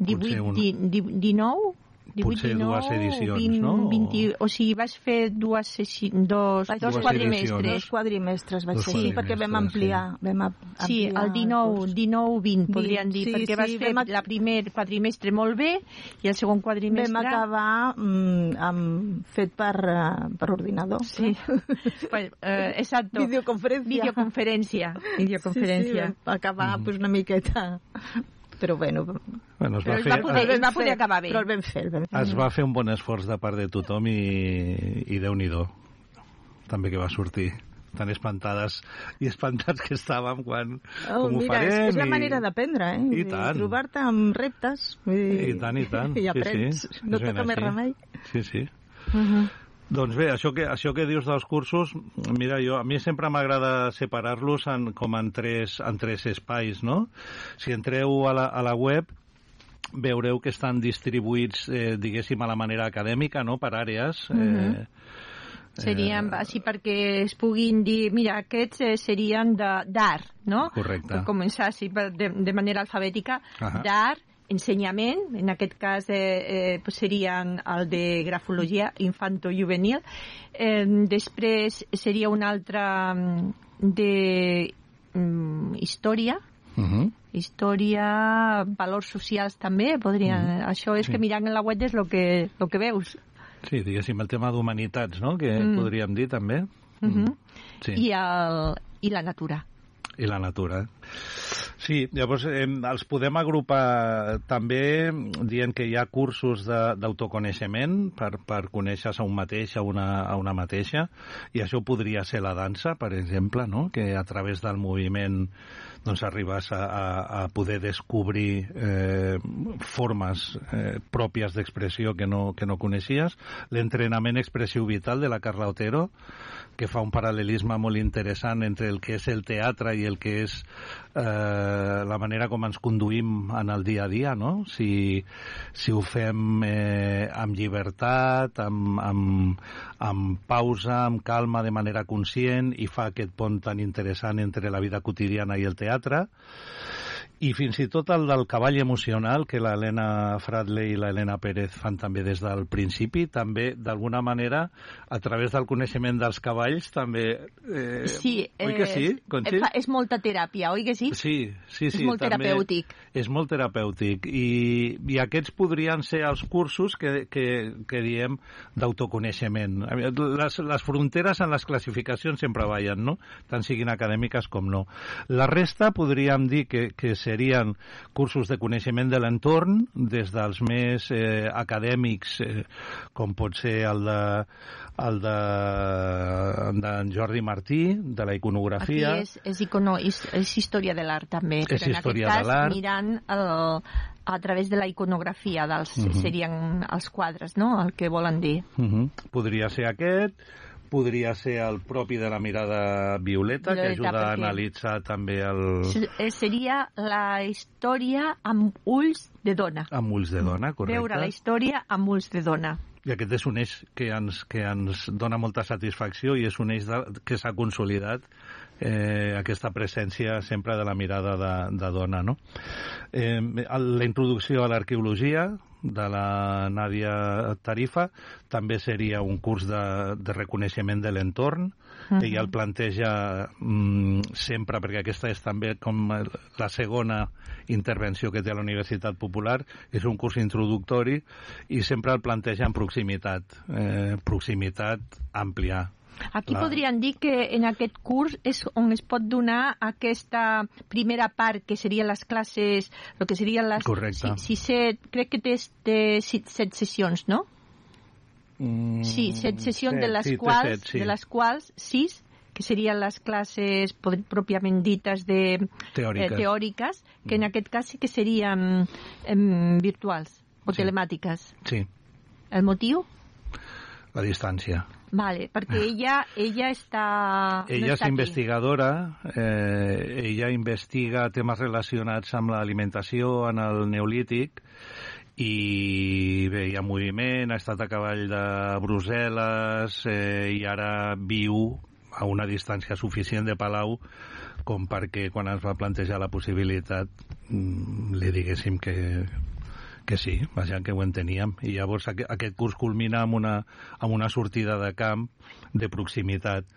[SPEAKER 1] divuit,
[SPEAKER 3] un-
[SPEAKER 1] di, di, dinou, divuit,
[SPEAKER 3] potser
[SPEAKER 1] dinou,
[SPEAKER 3] dues edicions,
[SPEAKER 1] vint,
[SPEAKER 3] no?
[SPEAKER 1] vint, o sigui, vas fer dues, sessi, dos,
[SPEAKER 2] Vaig
[SPEAKER 1] dos
[SPEAKER 3] Dues
[SPEAKER 1] quadrimestres.
[SPEAKER 2] Dos quadrimestres vaig
[SPEAKER 3] Dos
[SPEAKER 2] fer, sí, perquè vam
[SPEAKER 3] quadrimestres,
[SPEAKER 2] ampliar, vam am-
[SPEAKER 1] Sí,
[SPEAKER 2] ampliar
[SPEAKER 1] el dinou,
[SPEAKER 2] curs.
[SPEAKER 1] dinou, vint,
[SPEAKER 2] Vint,
[SPEAKER 1] podríem dir,
[SPEAKER 2] sí,
[SPEAKER 1] perquè
[SPEAKER 2] sí,
[SPEAKER 1] vas fer
[SPEAKER 2] vam ac-
[SPEAKER 1] la primer quadrimestre molt bé i el segon quadrimestre...
[SPEAKER 2] Vam acabar mm, amb, fet per, uh, per ordinador.
[SPEAKER 1] Sí, pues, eh, exacto.
[SPEAKER 2] Videoconferència.
[SPEAKER 1] Videoconferència. Videoconferència.
[SPEAKER 2] Sí, sí, vam acabar pues, una miqueta... Però bueno,
[SPEAKER 3] Bueno, es
[SPEAKER 1] Però
[SPEAKER 3] va,
[SPEAKER 1] es
[SPEAKER 3] fer,
[SPEAKER 1] va poder,
[SPEAKER 2] el
[SPEAKER 1] es va
[SPEAKER 2] vam
[SPEAKER 1] poder
[SPEAKER 2] fer,
[SPEAKER 1] acabar bé.
[SPEAKER 2] Però el vam fer, el vam fer.
[SPEAKER 3] es va fer un bon esforç de part de tothom i, i Déu-n'hi-do. També que va sortir tan espantades i espantats que estàvem quan
[SPEAKER 2] Oh,
[SPEAKER 3] com ho
[SPEAKER 2] mira,
[SPEAKER 3] farem.
[SPEAKER 2] és, és la
[SPEAKER 3] i-
[SPEAKER 2] manera d'aprendre, eh?
[SPEAKER 3] I
[SPEAKER 2] Vull dir,
[SPEAKER 3] tant.
[SPEAKER 2] Trobar-te amb reptes. Vull dir,
[SPEAKER 3] I tant, i tant.
[SPEAKER 2] I
[SPEAKER 3] Sí,
[SPEAKER 2] aprens.
[SPEAKER 3] sí.
[SPEAKER 2] No
[SPEAKER 3] És ben
[SPEAKER 2] toca més
[SPEAKER 3] així.
[SPEAKER 2] remei.
[SPEAKER 3] Sí, sí.
[SPEAKER 1] Uh -huh.
[SPEAKER 3] Doncs bé, això que, això que dius dels cursos, mira, jo, a mi sempre m'agrada separar-los en, com en tres, en tres espais, no? Si entreu a la, a la web, veureu que estan distribuïts, eh, diguéssim, a la manera acadèmica, no?, per àrees. Eh,
[SPEAKER 1] Serien, així perquè es puguin dir, mira, aquests eh, serien de- d'art, no?
[SPEAKER 3] Correcte.
[SPEAKER 1] Per començar així per- de, de manera alfabètica,
[SPEAKER 3] Ahà.
[SPEAKER 1] d'art, ensenyament, en aquest cas eh, eh, pues serien el de grafologia infanto-juvenil, eh, després seria un altre mm, de mm, història,
[SPEAKER 3] uh -huh.
[SPEAKER 1] història, valors socials també, podrien,
[SPEAKER 3] Mm.
[SPEAKER 1] això és
[SPEAKER 3] Sí.
[SPEAKER 1] que mirant en la web és el que, lo que veus.
[SPEAKER 3] Sí, diguéssim, el tema d'humanitats, no?, que
[SPEAKER 1] Mm.
[SPEAKER 3] podríem dir també.
[SPEAKER 1] Uh -huh.
[SPEAKER 3] Sí.
[SPEAKER 1] I, el, I la natura.
[SPEAKER 3] I la natura. Sí, llavors eh, els podem agrupar també dient que hi ha cursos de- d'autoconeixement per, per conèixer-se a un mateix, a una, a una mateixa, i això podria ser la dansa, per exemple, no?, que a través del moviment doncs arribes a, a, a poder descobrir eh, formes eh, pròpies d'expressió que no, que no coneixies. L'entrenament expressiu vital de la Carla Otero, que fa un paral·lelisme molt interessant entre el que és el teatre i el que és eh, la manera com ens conduïm en el dia a dia, no? Si, si ho fem eh, amb llibertat, amb, amb, amb pausa, amb calma, de manera conscient, i fa aquest pont tan interessant entre la vida quotidiana i el teatre. I fins i tot el del cavall emocional, que l'Helena Fradley i l'Helena Pérez fan també des del principi, també, d'alguna manera, a través del coneixement dels cavalls, també... Eh,
[SPEAKER 1] Sí,
[SPEAKER 3] oi que sí, Conxi?
[SPEAKER 1] fa, és molta teràpia, oi que sí?
[SPEAKER 3] Sí, sí, sí.
[SPEAKER 1] És molt
[SPEAKER 3] també
[SPEAKER 1] terapèutic.
[SPEAKER 3] És molt terapèutic. I, i aquests podrien ser els cursos que, que, que diem d'autoconeixement. Les, les fronteres en les classificacions sempre ballen, no?, tant siguin acadèmiques com no. La resta podríem dir que, que serien cursos de coneixement de l'entorn, des dels més eh, acadèmics, eh, com pot ser el de el de d'en Jordi Martí, de la iconografia.
[SPEAKER 1] Aquí és, és, icono, és, és història de l'art també,
[SPEAKER 3] És
[SPEAKER 1] però en aquest
[SPEAKER 3] història
[SPEAKER 1] cas
[SPEAKER 3] de l'art.
[SPEAKER 1] mirant el, a través de la iconografia dels,
[SPEAKER 3] Mhm.
[SPEAKER 1] serien els quadres, no?, el que volen dir.
[SPEAKER 3] Uh -huh. Podria ser aquest, podria ser el propi de la mirada violeta,
[SPEAKER 1] Violeta,
[SPEAKER 3] que ajuda a
[SPEAKER 1] perquè-
[SPEAKER 3] analitzar també el...
[SPEAKER 1] S- eh, Seria la història amb ulls de dona.
[SPEAKER 3] amb ulls de dona, correcte.
[SPEAKER 1] Veure la història amb ulls de dona.
[SPEAKER 3] I aquest és un eix que ens, que ens dona molta satisfacció i és un eix de, que s'ha consolidat, eh, aquesta presència sempre de la mirada de, de dona, no? Eh, la introducció a l'arqueologia de la Nàdia Tarifa també seria un curs de, de reconeixement de l'entorn,
[SPEAKER 1] Uh-huh.
[SPEAKER 3] que ja el planteja mm, sempre, perquè aquesta és també com la segona intervenció que té la Universitat Popular, és un curs introductori i sempre el planteja en proximitat, eh, proximitat àmplia,
[SPEAKER 1] Aquí
[SPEAKER 3] La...
[SPEAKER 1] podríem dir que en aquest curs és on es pot donar aquesta primera part, que serien les classes, el que serien les...
[SPEAKER 3] Correcte.
[SPEAKER 1] Si, si set, crec que té, té set, set sessions, no?
[SPEAKER 3] Mm,
[SPEAKER 1] sí, set sessions,
[SPEAKER 3] set,
[SPEAKER 1] de, les
[SPEAKER 3] sí,
[SPEAKER 1] quals,
[SPEAKER 3] set, sí.
[SPEAKER 1] de les quals sis, que serien les classes pròpiament dites de,
[SPEAKER 3] teòriques.
[SPEAKER 1] Eh, teòriques, que en aquest cas sí que serien eh, virtuals o
[SPEAKER 3] sí.
[SPEAKER 1] telemàtiques.
[SPEAKER 3] Sí.
[SPEAKER 1] El motiu?
[SPEAKER 3] La distància.
[SPEAKER 1] Vale, perquè ella, ella està...
[SPEAKER 3] Ella
[SPEAKER 1] no
[SPEAKER 3] és
[SPEAKER 1] està
[SPEAKER 3] investigadora, eh, ella investiga temes relacionats amb l'alimentació en el Neolític i bé, hi ha moviment, ha estat a cavall de Brussel·les eh, i ara viu a una distància suficient de Palau com perquè quan ens va plantejar la possibilitat li diguéssim que, que sí, vaja, que ho enteníem. I llavors aquest curs culmina amb una, amb una sortida de camp de proximitat.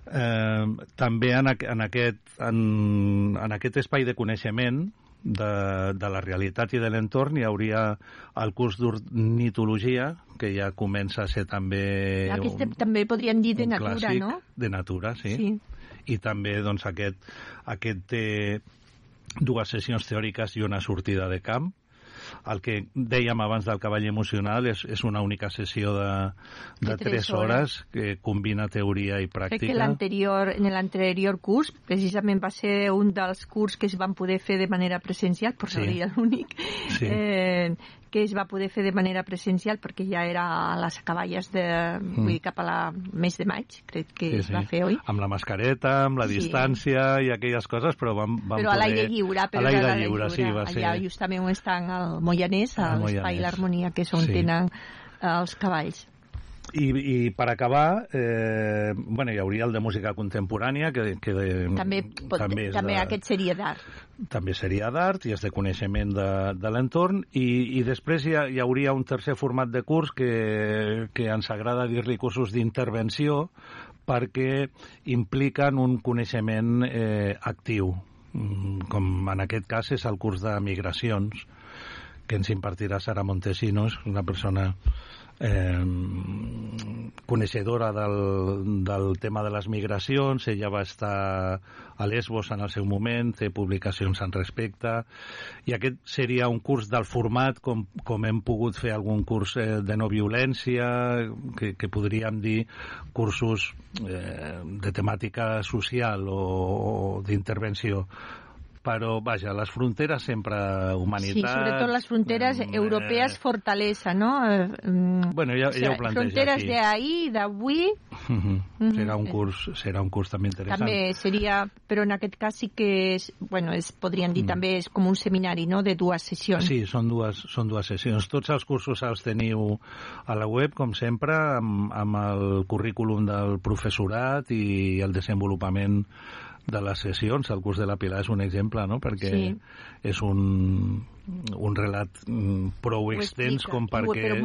[SPEAKER 3] Eh, també en, en, aquest, en, en aquest espai de coneixement de, de la realitat i de l'entorn hi hauria el curs d'ornitologia, que ja comença a ser també...
[SPEAKER 1] Aquest un, també podríem dir de natura,
[SPEAKER 3] clàssic,
[SPEAKER 1] no?
[SPEAKER 3] De natura, sí.
[SPEAKER 1] sí.
[SPEAKER 3] I també doncs, aquest, aquest té dues sessions teòriques i una sortida de camp. El que dèiem abans del cavall emocional és, és una única sessió de, de, de tres hores que combina teoria i pràctica.
[SPEAKER 1] Crec que l'anterior, en l'anterior curs precisament va ser un dels curs que es van poder fer de manera presencial, però
[SPEAKER 3] sí.
[SPEAKER 1] seria l'únic
[SPEAKER 3] sí.
[SPEAKER 1] eh, que es va poder fer de manera presencial perquè ja era a les acaballes de, mm. vull dir, cap a la mes de maig, crec que
[SPEAKER 3] sí,
[SPEAKER 1] es
[SPEAKER 3] sí.
[SPEAKER 1] va fer, oi?
[SPEAKER 3] Amb la mascareta, amb la
[SPEAKER 1] sí.
[SPEAKER 3] distància i aquelles coses, però vam, vam
[SPEAKER 1] però
[SPEAKER 3] poder...
[SPEAKER 1] a l'aire lliure, però
[SPEAKER 3] a l'aire
[SPEAKER 1] lliure,
[SPEAKER 3] lliure, sí, va ser...
[SPEAKER 1] allà justament on estan al Moianès, a l'espai l'Harmonia, que és on
[SPEAKER 3] sí.
[SPEAKER 1] tenen els cavalls.
[SPEAKER 3] I, i per acabar, eh, bueno, hi hauria el de música contemporània, que, que de,
[SPEAKER 1] també, pot, també, també de, aquest seria d'art.
[SPEAKER 3] També seria d'art i és de coneixement de, de l'entorn, i, i després hi, ha, hi hauria un tercer format de curs que, que ens agrada dir-li cursos d'intervenció, perquè impliquen un coneixement eh, actiu, com en aquest cas és el curs de migracions, que ens impartirà Sara Montesinos, una persona eh, coneixedora del, del tema de les migracions. Ella va estar a Lesbos en el seu moment, té publicacions en respecte, i aquest seria un curs del format com, com hem pogut fer algun curs eh, de no violència, que, que podríem dir cursos eh, de temàtica social o, o d'intervenció. Però, vaja, les fronteres sempre humanitat...
[SPEAKER 1] Sí, sobretot les fronteres eh, europees fortalesa, no? Eh,
[SPEAKER 3] bueno, ja, ja ho planteja
[SPEAKER 1] fronteres
[SPEAKER 3] aquí.
[SPEAKER 1] Fronteres d'ahir, d'avui...
[SPEAKER 3] Uh -huh. uh-huh. Serà un curs, serà un curs també interessant.
[SPEAKER 1] També seria, però en aquest cas sí que és, bueno, és, podríem dir mm. també és com un seminari, no?, de dues sessions.
[SPEAKER 3] Sí, són dues, són dues sessions. Tots els cursos els teniu a la web, com sempre, amb, amb el currículum del professorat i el desenvolupament de les sessions. El curs de la Pilar és un exemple, no?, perquè sí. és un, un relat prou extens com perquè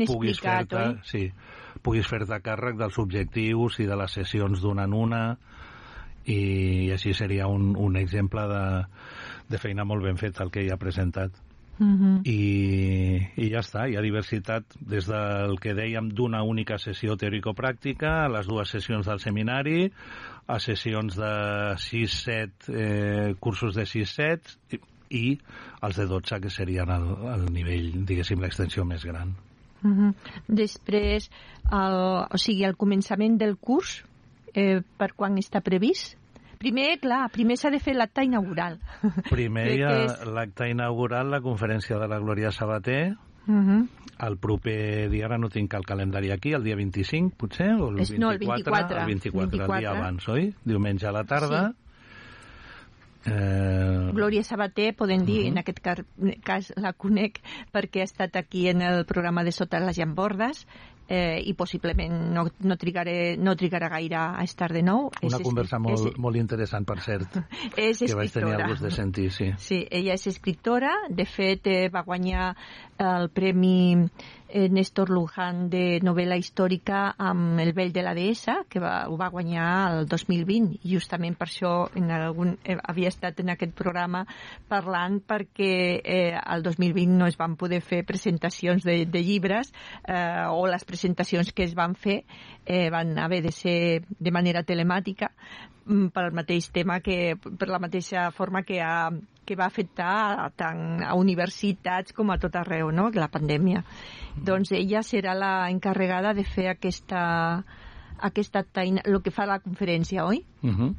[SPEAKER 3] puguis fer-te sí, puguis fer-te càrrec dels objectius i de les sessions d'una en una, i així seria un, un exemple de, de feina molt ben feta el que hi ha presentat.
[SPEAKER 1] Uh-huh.
[SPEAKER 3] I, i ja està, hi ha diversitat des del que dèiem d'una única sessió teòrico-pràctica a les dues sessions del seminari, a sessions de sis set, eh, cursos de sis set i, i els de dotze, que serien el, el nivell, diguéssim, l'extensió més gran.
[SPEAKER 1] Uh-huh. Després, el, o sigui, el començament del curs, eh, per quan està previst? Primer, clar, primer s'ha de fer l'acte inaugural.
[SPEAKER 3] Primer hi ha és... l'acte inaugural, la conferència de la Glòria Sabater.
[SPEAKER 1] Uh-huh.
[SPEAKER 3] El proper dia, ara no tinc el calendari aquí, el dia vint-i-cinc, potser? O el
[SPEAKER 1] és,
[SPEAKER 3] vint-i-quatre,
[SPEAKER 1] no, el vint-i-quatre.
[SPEAKER 3] El vint-i-quatre,
[SPEAKER 1] vint-i-quatre.
[SPEAKER 3] el dia abans, oi? Diumenge a la tarda. Sí.
[SPEAKER 1] Eh... Glòria Sabater, podem dir, uh-huh. en aquest cas, cas la conec perquè ha estat aquí en el programa de Sota les Llambordes, eh, i possiblement no, no, trigaré, no trigarà gaire a estar de nou.
[SPEAKER 3] Una
[SPEAKER 1] és,
[SPEAKER 3] conversa
[SPEAKER 1] és,
[SPEAKER 3] molt,
[SPEAKER 1] és,
[SPEAKER 3] molt interessant, per cert,
[SPEAKER 1] és
[SPEAKER 3] que vaig tenir el gust de sentir, sí.
[SPEAKER 1] Sí, ella és escriptora, de fet eh, va guanyar el Premi eh, Néstor Luján de novel·la històrica amb El vell de la deessa, que va, ho va guanyar el dos mil vint, i justament per això en algun, eh, havia estat en aquest programa parlant, perquè eh, el dos mil vint no es van poder fer presentacions de, de llibres, eh, o les presentacions presentacions que es van fer eh, van haver de ser de manera telemàtica per el mateix tema, que per la mateixa forma que, ha, que va afectar tant a universitats com a tot arreu, no?, la pandèmia. Mm. Doncs ella serà la encarregada de fer aquesta, aquesta taina, el que fa la conferència, oi? Uh-huh.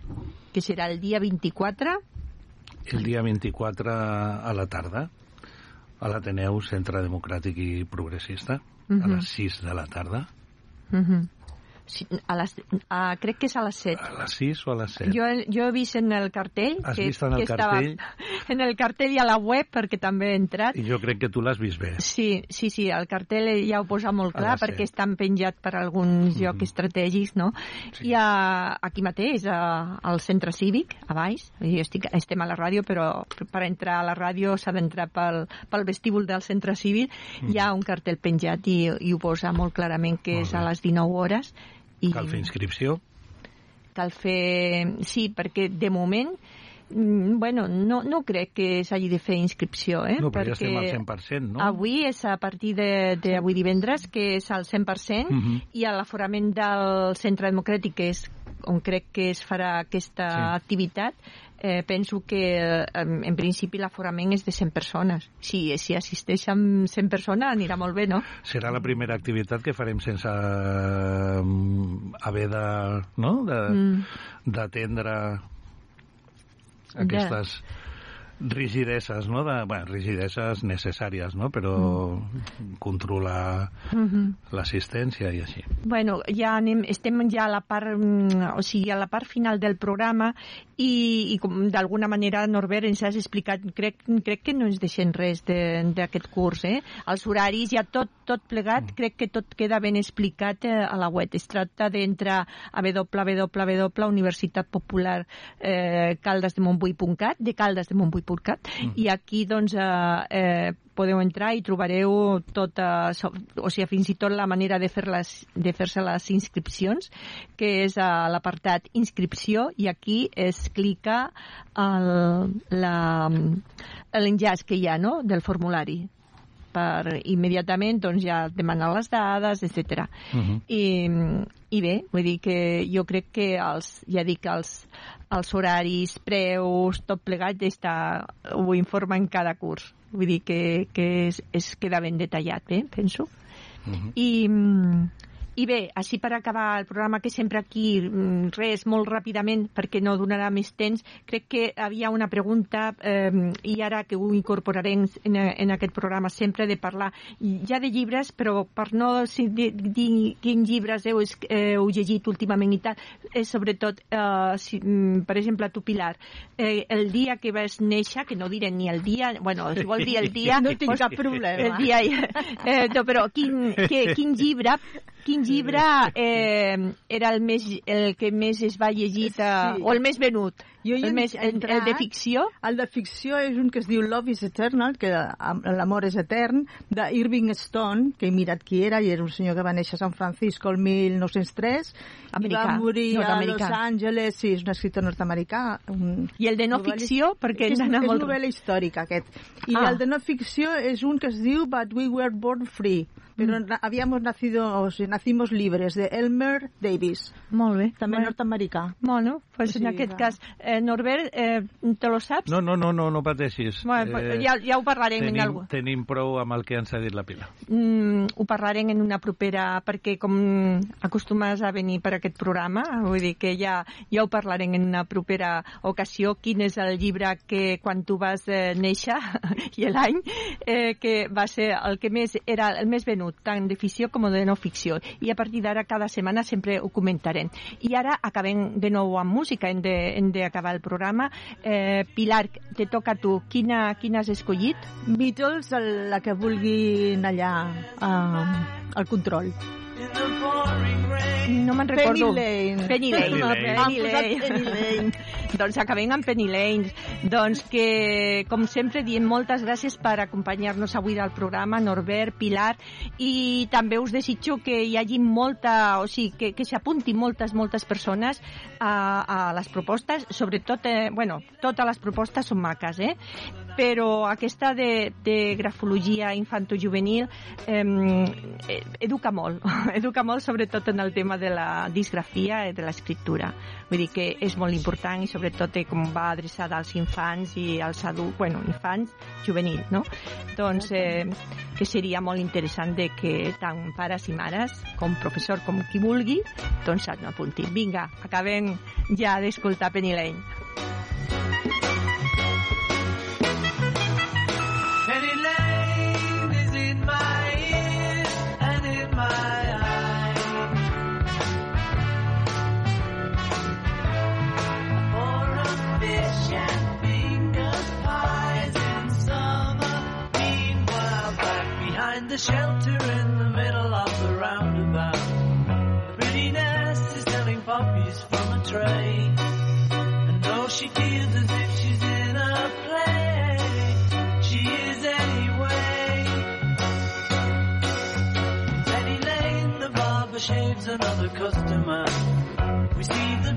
[SPEAKER 1] Que serà el dia vint-i-quatre.
[SPEAKER 3] El dia vint-i-quatre a la tarda, a l'Ateneu Centre Democràtic i Progressista, uh-huh. a les sis de la tarda.
[SPEAKER 1] Uh-huh. Sí, a les, a, crec que és a les set.
[SPEAKER 3] A les sis o a les set?
[SPEAKER 1] Jo, jo he vist en el cartell...
[SPEAKER 3] Has
[SPEAKER 1] que,
[SPEAKER 3] vist en el
[SPEAKER 1] que
[SPEAKER 3] cartell?
[SPEAKER 1] Estava en el cartell i a la web, perquè també he entrat.
[SPEAKER 3] I jo crec que tu l'has vist bé.
[SPEAKER 1] Sí, sí, sí, el cartell ja ho posa molt clar, perquè
[SPEAKER 3] set.
[SPEAKER 1] Estan penjat per alguns
[SPEAKER 3] mm-hmm.
[SPEAKER 1] llocs estratègics, no? Sí. I a, aquí mateix, a, al centre cívic, a baix, jo estic, estem a la ràdio, però per entrar a la ràdio s'ha d'entrar pel, pel vestíbul del centre cívic, mm. hi ha un cartell penjat i, i ho posa molt clarament que molt és bé. A les dinou hores. I
[SPEAKER 3] cal fer inscripció?
[SPEAKER 1] Cal fer... Sí, perquè de moment, bueno, no, no crec que s'hagi de fer inscripció, eh?
[SPEAKER 3] No, però
[SPEAKER 1] perquè
[SPEAKER 3] ja estem al cent per cent, no?
[SPEAKER 1] Avui és a partir d'avui divendres, que és al cent per cent, uh-huh. i a l'aforament del Centre Democràtic, que és on crec que es farà aquesta sí. activitat, eh, penso que en, en principi l'aforament és de cent persones. Si, si assisteixen cent persones anirà molt bé, no?
[SPEAKER 3] Serà la primera activitat que farem sense um, haver de, no? de, mm. d'atendre aquestes de... rigideses, no? De, bueno, rigideses necessàries, no? Però mm. controlar mm-hmm. l'assistència i així.
[SPEAKER 1] Bueno, ja anem, estem ja a la part, o sigui, a la part final del programa i, i com d'alguna manera, Norbert, ens has explicat, crec, crec que no ens deixem res d'aquest curs, eh? Els horaris, ja tot, tot plegat, mm. crec que tot queda ben explicat eh, a la web. Es tracta d'entrar a w w w punt universitat popular eh, caldes de montbui punt cat, de caldes de montbui punt cat, mm. i aquí, doncs, eh, eh, podeu entrar i trobareu tota, o sigui, fins i tot la manera de fer les, de fer-se les inscripcions, que és a l'apartat inscripció, i aquí es clica l'enllaç que hi ha, no?, del formulari. Per immediatament doncs, ja demanar les dades, etcètera. Uh-huh. I, I bé, vull dir que jo crec que els, ja dic, els, els horaris, preus, tot plegat està, ho informa en cada curs. Vull dir que, que es, es queda ben detallat, eh, penso. Uh-huh. I... I bé, així per acabar el programa, que sempre aquí, res, molt ràpidament, perquè no donarà més temps, crec que havia una pregunta, eh, i ara que ho incorporarem en, en aquest programa, sempre de parlar ja de llibres, però per no dir quins llibres heu, eh, heu llegit últimament i tal, és sobretot, eh, si, per exemple, tu, Pilar, eh, el dia que vas néixer, que no diré ni el dia, bueno, si vol dir el dia...
[SPEAKER 2] No tinc cap problema.
[SPEAKER 1] El dia, eh, no, però quin, que, quin llibre... Quin llibre eh, era el, més, el que més es va llegir, eh, sí. o el més venut?
[SPEAKER 2] Jo
[SPEAKER 1] el, més, el, el de ficció?
[SPEAKER 2] El de ficció és un que es diu Love is Eternal, que l'amor és etern, d'Irving Stone, que he mirat qui era, i era un senyor que va néixer a San Francisco el mil nou-cents tres,
[SPEAKER 1] americà,
[SPEAKER 2] i va morir a Los Angeles, sí, és un escriptor nord-americà. Un...
[SPEAKER 1] I el de no ficció? Perquè
[SPEAKER 2] és, és
[SPEAKER 1] molt...
[SPEAKER 2] novel·la històrica, aquest. I
[SPEAKER 1] ah.
[SPEAKER 2] el de no ficció és un que es diu But We Were Born Free, però mm. habíamos nacido, o sigui, nacimos libres, de Elmer Davis.
[SPEAKER 1] Molt bé.
[SPEAKER 2] També
[SPEAKER 1] bueno.
[SPEAKER 2] nord-americà.
[SPEAKER 1] Bueno, pues
[SPEAKER 2] sí,
[SPEAKER 1] en aquest
[SPEAKER 2] va.
[SPEAKER 1] cas, eh, Norbert, eh, te lo saps?
[SPEAKER 3] No, no, no, no, no pateixis.
[SPEAKER 1] Bueno, eh, ja, ja ho parlarem
[SPEAKER 3] tenim,
[SPEAKER 1] en algú.
[SPEAKER 3] Tenim prou amb el que ens ha dit la Pilar.
[SPEAKER 1] Mm, ho parlarem en una propera, perquè com acostumes a venir per aquest programa, vull dir que ja, ja ho parlarem en una propera ocasió, quin és el llibre que quan tu vas eh, néixer i l'any, eh, que va ser el que més era el més venut, tant de ficció com de no ficció. I a partir d'ara, cada setmana sempre ho comentarem. I ara acabem de nou amb música, hem de, hem d'acabar el programa. Eh, Pilar, te toca a tu. Quina, quina has escollit?
[SPEAKER 2] Beatles, la que vulguin allà uh, al control.
[SPEAKER 1] No me'n recordo.
[SPEAKER 2] Penny Lane.
[SPEAKER 1] Penny Lane.
[SPEAKER 3] Penny Lane.
[SPEAKER 1] Penny Lane.
[SPEAKER 2] Penny Lane.
[SPEAKER 1] Doncs acabem amb Penny Lane. Doncs que, com sempre, diem moltes gràcies per acompanyar-nos avui del programa, Norbert, Pilar, i també us desitjo que hi hagi molta, o sigui, que, que s'apuntin moltes, moltes persones a, a les propostes, sobretot, eh, bueno, totes les propostes són maques, eh? Però aquesta de, de grafologia infantojuvenil eh, educa molt, educa molt sobretot en el tema de la disgrafia i de l'escriptura. Vull dir que és molt important i sobretot com va adreçada als infants i als adults, bueno, infants, juvenils, no? Doncs eh, que seria molt interessant de que tant pares i mares com professor com qui vulgui, doncs s'apuntin. Vinga, acabem ja d'escoltar Penny Lane.
[SPEAKER 6] Penny Lane is in my ears and in my eyes. For a fish and finger pies in summer. Meanwhile, back behind the shelter in the middle of the roundabout, the pretty nurse is selling poppies from a tray. And though she feels as if she's in a play, she is anyway. Penny Lane, the barber shaves another customer. We see the